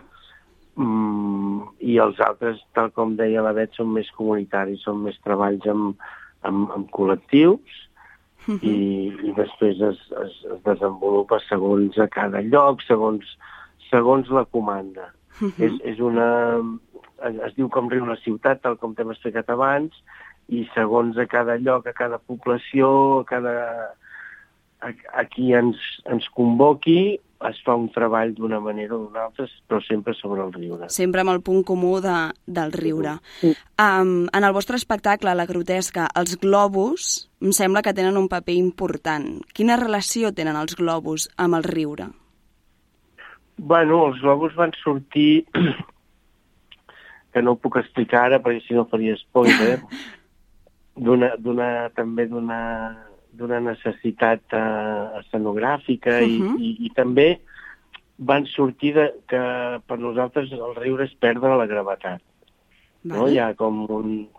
i els altres, tal com deia la Bet, són més comunitaris, són més treballs amb col·lectius, i després es desenvolupa segons a cada lloc, segons la comanda. Es diu Com riu la ciutat, tal com t'hem explicat abans, i segons a cada lloc, a cada població, a qui ens convoqui, es fa un treball d'una manera o d'una altra, però sempre sobre el riure. Sempre amb el punt comú del riure. En el vostre espectacle, La grotesca, els globus em sembla que tenen un paper important. Quina relació tenen els globus amb el riure? Bueno, els globus van sortir, que no ho puc explicar ara perquè si no faria spoiler, també d'una necessitat escenogràfica, i també van sortir que per nosaltres el riure és perdre la gravetat. No? Hi ha com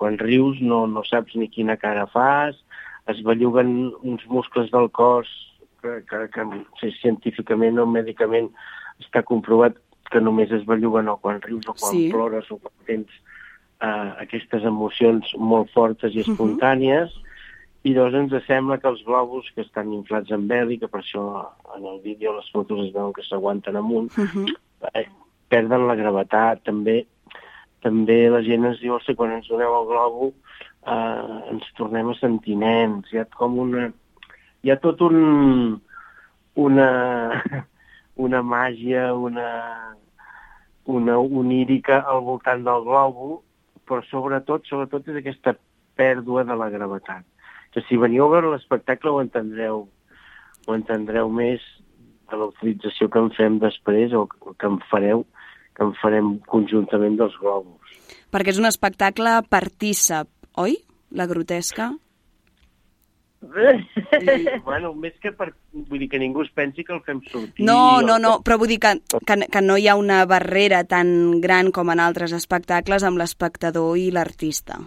quan rius no saps ni quina cara fas, es belluguen uns muscles del cos que científicament o mèdicament està comprovat que només es belluguen o quan rius o quan plores o quan tens aquestes emocions molt fortes i espontànies. I llavors ens sembla que els globus que estan inflats amb heli, que per això en el vídeo les fotos es veuen que s'aguanten amunt, perden la gravetat. També la gent ens diu, quan ens doneu el globo ens tornem a sentir nens. Hi ha tot una màgia, una onírica al voltant del globo, però sobretot és aquesta pèrdua de la gravetat. Que si veniu a veure l'espectacle ho entendreu més de la utilització que en fem després o que en farem conjuntament dels globus. Perquè és un espectacle partícip, oi? La grotesca? Bueno, més que vull dir que ningú es pensi que el fem sortir. No, però vull dir que no hi ha una barrera tan gran com en altres espectacles amb l'espectador i l'artista.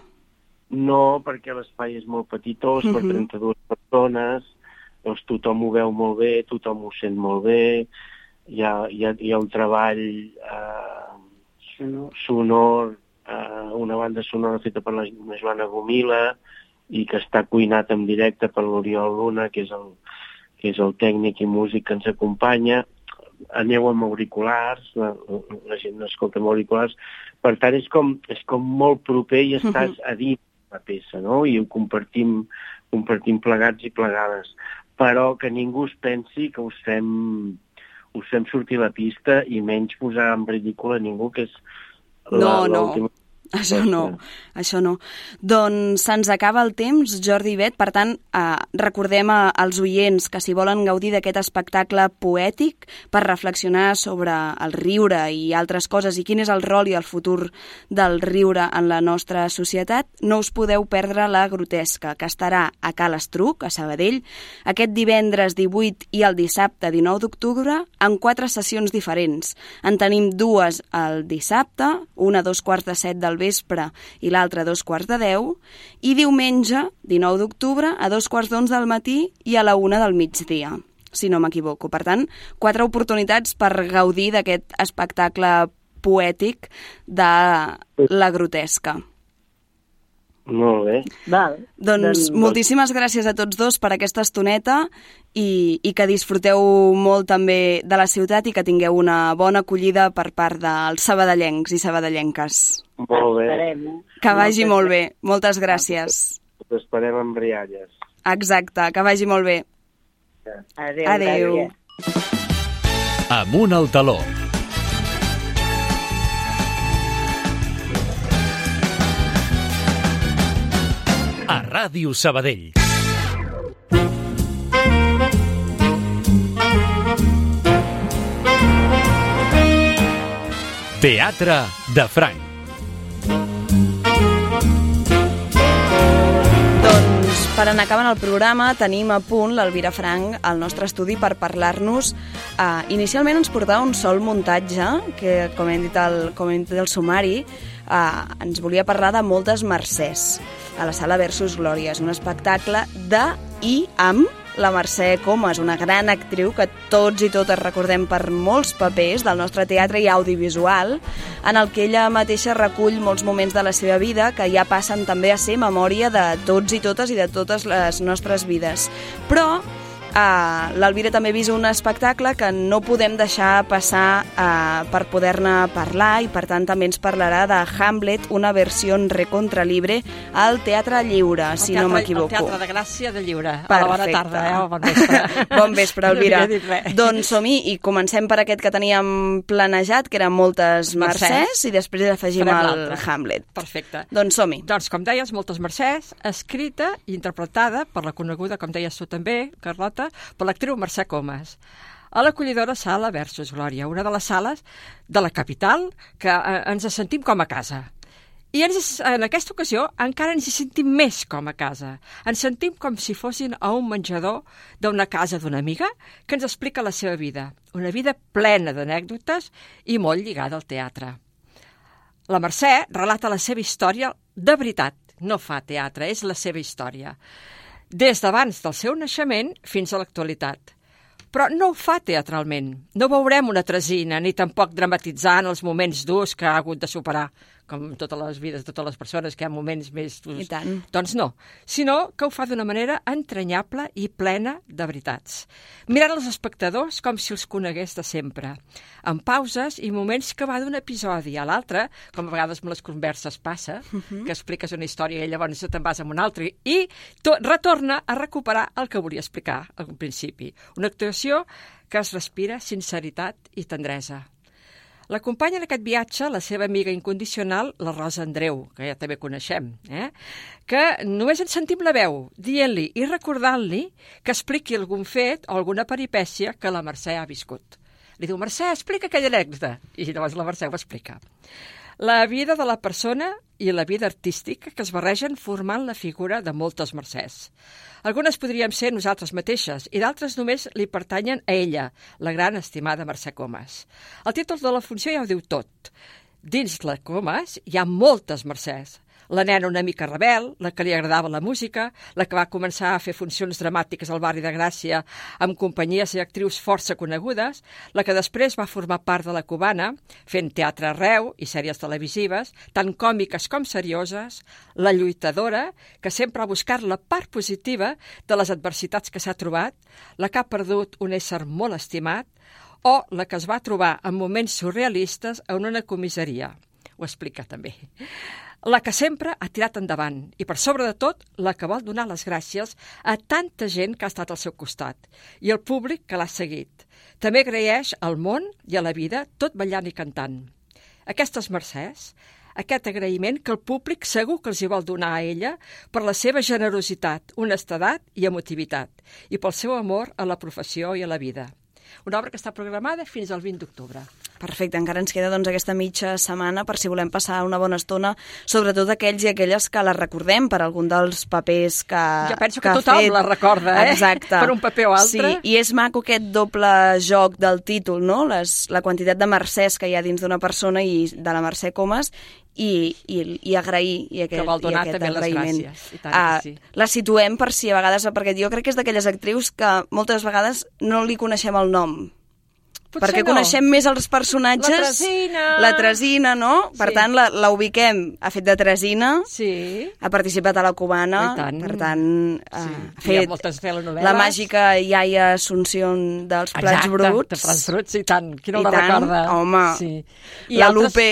No, perquè l'espai és molt petitós, per 32 persones, doncs tothom ho veu molt bé, tothom ho sent molt bé, hi ha un treball sonor, una banda sonora feta per la Joana Gomila i que està cuinat en directe per l'Oriol Luna, que és el tècnic i músic que ens acompanya. Aneu amb auriculars, la gent no escolta amb auriculars, per tant és com molt proper i estàs a dins la peça, no? I ho compartim plegats i plegades. però que ningú es pensi que us fem sortir a la pista i menys posar en ridícul a ningú, que és l'última... Això no. Doncs se'ns acaba el temps, Jordi i Bet, per tant, recordem als oients que si volen gaudir d'aquest espectacle poètic per reflexionar sobre el riure i altres coses i quin és el rol i el futur del riure en la nostra societat, no us podeu perdre la Grotesca, que estarà a Cal Estruc, a Sabadell, aquest divendres 18 i el dissabte 19 d'octubre, en 4 sessions diferents. En tenim 2 el dissabte, una a 2:45 del vespre i l'altra a 9:45, i diumenge, 19 d'octubre, a 2:45 del matí i a la 1 del migdia, si no m'equivoco. Per tant, 4 oportunitats per gaudir d'aquest espectacle poètic de la Grotesca. Molt bé. Doncs moltíssimes gràcies a tots dos per aquesta estoneta i que disfruteu molt també de la ciutat i que tingueu una bona acollida per part dels sabadellencs i sabadellenques. Molt bé. Que vagi molt bé. Moltes gràcies. Us esperem amb rialles. Exacte, que vagi molt bé. Adéu. Amunt al taló. A Ràdio Sabadell. Teatre de Franc. Doncs per anar acabant el programa tenim a punt l'Elvira Franc al nostre estudi per parlar-nos. Inicialment ens portava un sol muntatge que, com hem dit el sumari, ens volia parlar de Moltes Mercès a la Sala Versus Glòria. És un espectacle de i amb la Mercè Comas, una gran actriu que tots i totes recordem per molts papers del nostre teatre i audiovisual, en el que ella mateixa recull molts moments de la seva vida que ja passen també a ser memòria de tots i totes i de totes les nostres vides. Però l'Elvira també ha vist un espectacle que no podem deixar passar per poder-ne parlar, i per tant també ens parlarà de Hamlet, una versió recontra libre al Teatre Lliure, si no m'equivoco. El Teatre de Gràcia de Lliure. Perfecte. A la bona tarda, bon vespre. Bon vespre, Elvira. Doncs som-hi i comencem per aquest que teníem planejat, que eren Moltes Mercès, i després afegim el Hamlet. Perfecte. Doncs som-hi. Doncs, com deies, Moltes Mercès, escrita i interpretada per la coneguda, com deies tu també, Carlota, per l'actriu Mercè Comas, a l'acollidora Sala Versus Glòria, una de les sales de la capital que ens sentim com a casa. I en aquesta ocasió encara ens hi sentim més com a casa. Ens sentim com si fossin a un menjador d'una casa d'una amiga que ens explica la seva vida, una vida plena d'anècdotes i molt lligada al teatre. La Mercè relata la seva història de veritat, no fa teatre, és la seva història, des d'abans del seu naixement fins a l'actualitat. Però no ho fa teatralment. No veurem una tresina, ni tampoc dramatitzant els moments durs que ha hagut de superar, com totes les vides de totes les persones, que hi ha moments més durs. I tant. Doncs no, sinó que ho fa d'una manera entranyable i plena de veritats. Mirant els espectadors com si els conegués de sempre, amb pauses i moments que va d'un episodi a l'altre, com a vegades amb les converses passa, que expliques una història i llavors te'n vas amb una altra, i retorna a recuperar el que volia explicar al principi. Una actuació que es respira sinceritat i tendresa. L'acompanya en aquest viatge la seva amiga incondicional, la Rosa Andreu, que ja també coneixem, que només ens sentim la veu, dient-li i recordant-li que expliqui algun fet o alguna peripècia que la Mercè ha viscut. Li diu, Mercè, explica aquella anècdota. I llavors la Mercè ho explica. La vida de la persona i la vida artística que es barregen formant la figura de Moltes Mercès. Algunes podríem ser nosaltres mateixes i d'altres només li pertanyen a ella, la gran estimada Mercè Comas. El títol de la funció ja ho diu tot. Dins la Comas hi ha moltes Mercès. La nena una mica rebel, la que li agradava la música, la que va començar a fer funcions dramàtiques al barri de Gràcia amb companyies i actrius força conegudes, la que després va formar part de la Cubana, fent teatre arreu i sèries televisives, tant còmiques com serioses, la lluitadora, que sempre ha buscat la part positiva de les adversitats que s'ha trobat, la que ha perdut un ésser molt estimat, o la que es va trobar en moments surrealistes en una comissaria. Ho explica també. la que sempre ha tirat endavant i, per sobre de tot, la que vol donar les gràcies a tanta gent que ha estat al seu costat i al públic que l'ha seguit. També agraeix al món i a la vida tot ballant i cantant. Aquestes mercès, aquest agraïment que el públic segur que els hi vol donar a ella per la seva generositat, honestedat i emotivitat i pel seu amor a la professió i a la vida. Una obra que està programada fins al 20 d'octubre. Perfecte, encara ens queda aquesta mitja setmana per si volem passar una bona estona, sobretot aquells i aquelles que la recordem per algun dels papers que jo penso que tothom la recorda, Exacte. Per un paper o altre. Sí, i és maco aquest doble joc del títol, no? La quantitat de mercès que hi ha dins d'una persona i de la Mercè Comas i agrair i aquest, que vol donar i aquest també agraïment. les gràcies. I tant que sí. La situem per si a vegades, perquè jo crec que és d'aquelles actrius que moltes vegades no li coneixem el nom. Potser perquè no. Coneixem més els personatges. La Tresina, no? Per tant, la ubiquem. Ha fet de Tresina, ha participat a la Cubana, per tant, ha fet la màgica iaia Assumpción dels Plats Bruts. De Plats Bruts, i tant. Qui no la recorda? Home, la Lupe,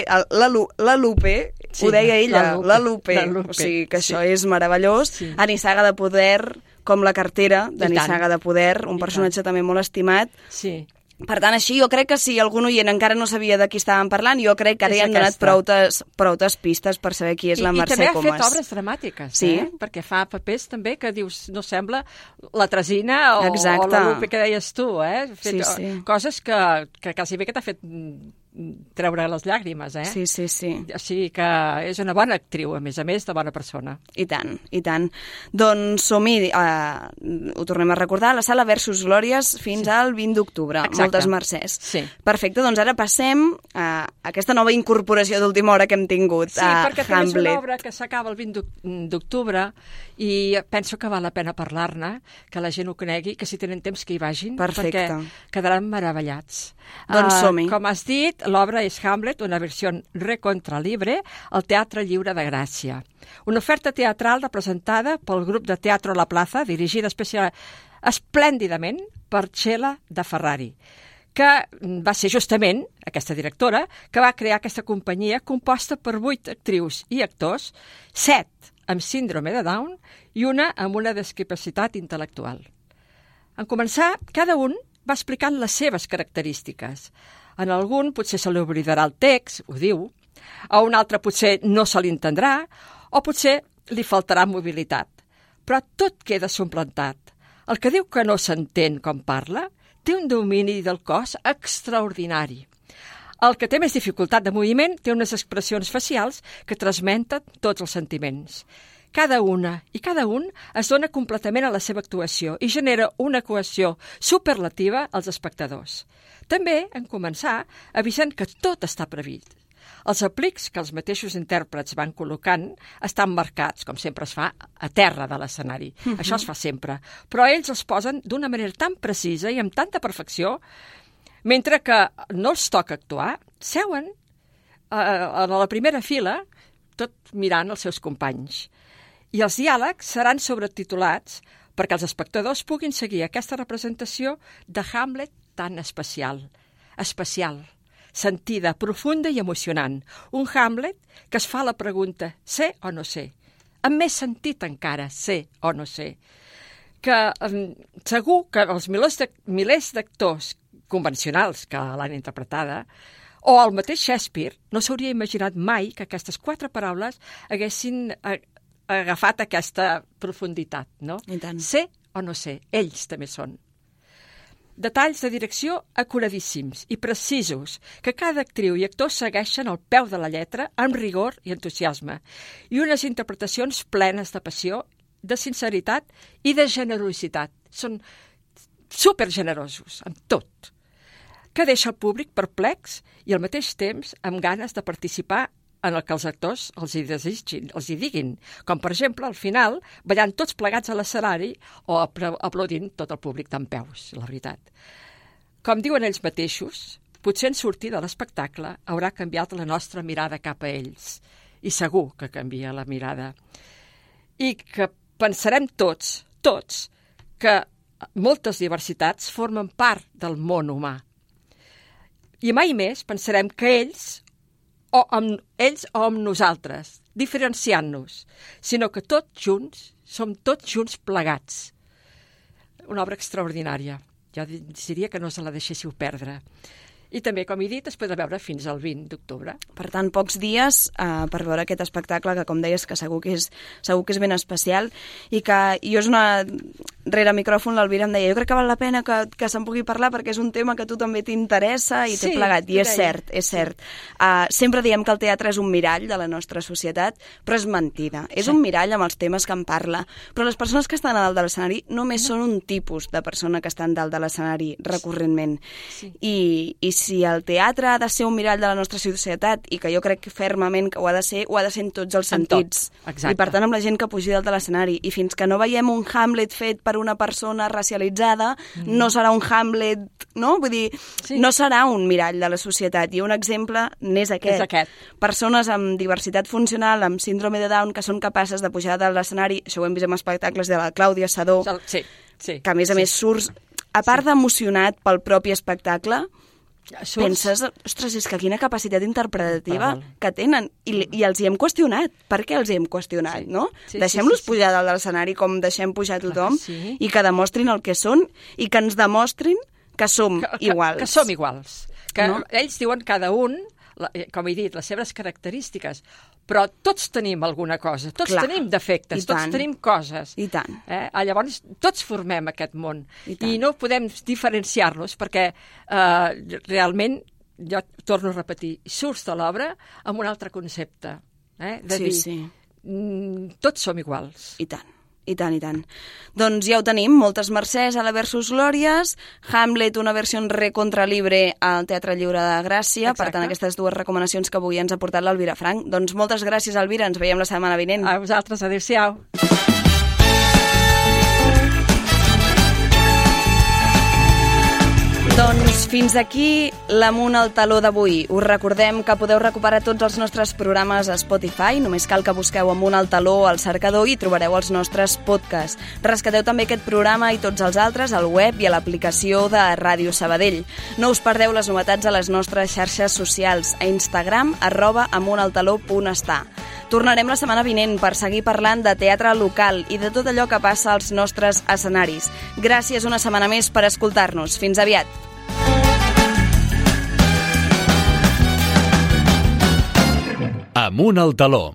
ho deia ella, la Lupe. O sigui que això és meravellós. A Nissaga de Poder, com la cartera de Nissaga de Poder, un personatge també molt estimat. Sí. Per tant, així, jo crec que si algun oient encara no sabia de qui estàvem parlant, jo crec que ara ja hem donat proutes pistes per saber qui és la Mercè Comas. I també ha fet obres dramàtiques, perquè fa papers també que dius, no sembla la Tresina o la Lupe que deies tu, Ha fet coses que quasi bé que t'ha fet treure les llàgrimes, Sí. O sigui que és una bona actriu, a més de bona persona. I tant. Doncs som-hi, ho tornem a recordar, a la Sala Versus Glòries fins al 20 d'octubre. Moltes mercès. Sí. Perfecte, doncs ara passem a aquesta nova incorporació d'última hora que hem tingut a Hamlet. Sí, perquè també és una obra que s'acaba el 20 d'octubre i penso que val la pena parlar-ne, que la gent ho conegui, que si tenen temps que hi vagin, perquè quedaran meravellats. Doncs som-hi. Com has dit, l'obra és Hamlet, una versió recontra libre, al Teatre Lliure de Gràcia. Una oferta teatral representada pel grup de Teatro La Plaza, dirigida esplèndidament per Txela de Ferrari, que va ser justament aquesta directora que va crear aquesta companyia composta per 8 actrius i actors, 7 amb síndrome de Down i una amb una discapacitat intel·lectual. En començar, cada un va explicant les seves característiques. En algun potser se li oblidarà el text, ho diu, a un altre potser no se l'entendrà, o potser li faltarà mobilitat. Però tot queda suplantat. El que diu que no s'entén com parla té un domini del cos extraordinari. El que té més dificultat de moviment té unes expressions facials que transmeten tots els sentiments. Cada una i cada un es dona completament a la seva actuació i genera una cohesió superlativa als espectadors. També, en començar, avisen que tot està previst. Els aplics que els mateixos intèrprets van col·locant estan marcats, com sempre es fa, a terra de l'escenari. Això es fa sempre. Però ells els posen d'una manera tan precisa i amb tanta perfecció, mentre que no els toca actuar, seuen a la primera fila, tot mirant els seus companys. I els diàlegs seran sobretitulats perquè els espectadors puguin seguir aquesta representació de Hamlet tan especial, sentida, profunda i emocionant. Un Hamlet que es fa la pregunta, sé o no sé? Amb més sentit encara, sé o no sé? Que segur que els milers d'actors convencionals que l'han interpretada, o el mateix Shakespeare, no s'hauria imaginat mai que aquestes 4 paraules haguessin agafat aquesta profunditat, no? Sé o no sé, ells també són. Detalls de direcció acuradíssims i precisos, que cada actriu i actor segueixen al peu de la lletra amb rigor i entusiasme, i unes interpretacions plenes de passió, de sinceritat i de generositat. Són supergenerosos, amb tot, que deixa el públic perplex i al mateix temps amb ganes de participar en el que els actors els hi diguin, com per exemple al final ballant tots plegats a l'escenari o aplaudint tot el públic dempeus, la veritat. Com diuen ells mateixos, potser en sortir de l'espectacle haurà canviat la nostra mirada cap a ells, i segur que canvia la mirada. I que pensarem tots, que moltes diversitats formen part del món humà. I mai més pensarem que ells o amb ells o amb nosaltres, diferenciant-nos, sinó que tots junts, som tots junts plegats. Una obra extraordinària. Jo diria que no se la deixéssiu perdre. I també, com he dit, es podrà veure fins al 20 d'octubre. Per tant, pocs dies per veure aquest espectacle que, com deies, que segur que és ben especial i que jo és una... Rere micròfon l'Elvira em deia, jo crec que val la pena que se'n pugui parlar perquè és un tema que a tu també t'interessa i t'he plegat. I és cert, és cert. Sempre diem que el teatre és un mirall de la nostra societat, però és mentida. És un mirall amb els temes que en parla. Però les persones que estan a dalt de l'escenari només són un tipus de persona que estan dalt de l'escenari recurrentment. I si el teatre ha de ser un mirall de la nostra societat, i que jo crec fermament que ho ha de ser en tots els sentits. I per tant amb la gent que pugi dalt de l'escenari. I fins que no veiem un Hamlet fet per una persona racialitzada, no serà un Hamlet, no? Vull dir, no serà un mirall de la societat. I un exemple n'és aquest. Persones amb diversitat funcional, amb síndrome de Down, que són capaces de pujar de l'escenari, això ho hem vist en espectacles de la Clàudia Sadó, que a més surts, a part d'emocionat pel propi espectacle, penses, ostres, és que quina capacitat interpretativa que tenen. I els hi hem qüestionat. Per què els hi hem qüestionat, no? Deixem-los pujar dalt de l'escenari com deixem pujar tothom i que demostrin el que són i que ens demostrin que som iguals. Que som iguals. Que ells diuen cada un, com he dit, les seves característiques, però tots tenim alguna cosa, tots tenim defectes, tots tenim coses. I tant. Llavors, tots formem aquest món. I no podem diferenciar-los perquè realment, jo torno a repetir, surts de l'obra amb un altre concepte. De dir, tots som iguals. I tant. I tant, i tant. Doncs ja ho tenim, moltes mercès a la Versus Glòries, Hamlet, una versió recontra libre al Teatre Lliure de Gràcia. Per tant, aquestes dues recomanacions que avui ens ha portat l'Elvira Franch. Doncs moltes gràcies, Elvira, ens veiem la setmana vinent. A vosaltres, adéu-siau. Doncs fins aquí l'Amunt al Taló d'avui. Us recordem que podeu recuperar tots els nostres programes a Spotify. Només cal que busqueu Amunt al Taló al cercador i trobareu els nostres podcasts. Rescateu també aquest programa i tots els altres al web i a l'aplicació de Ràdio Sabadell. No us perdeu les novetats a les nostres xarxes socials, a Instagram, @amuntaltaló.està. Tornarem la setmana vinent per seguir parlant de teatre local i de tot allò que passa als nostres escenaris. Gràcies una setmana més per escoltar-nos. Fins aviat. Amunt al Taló.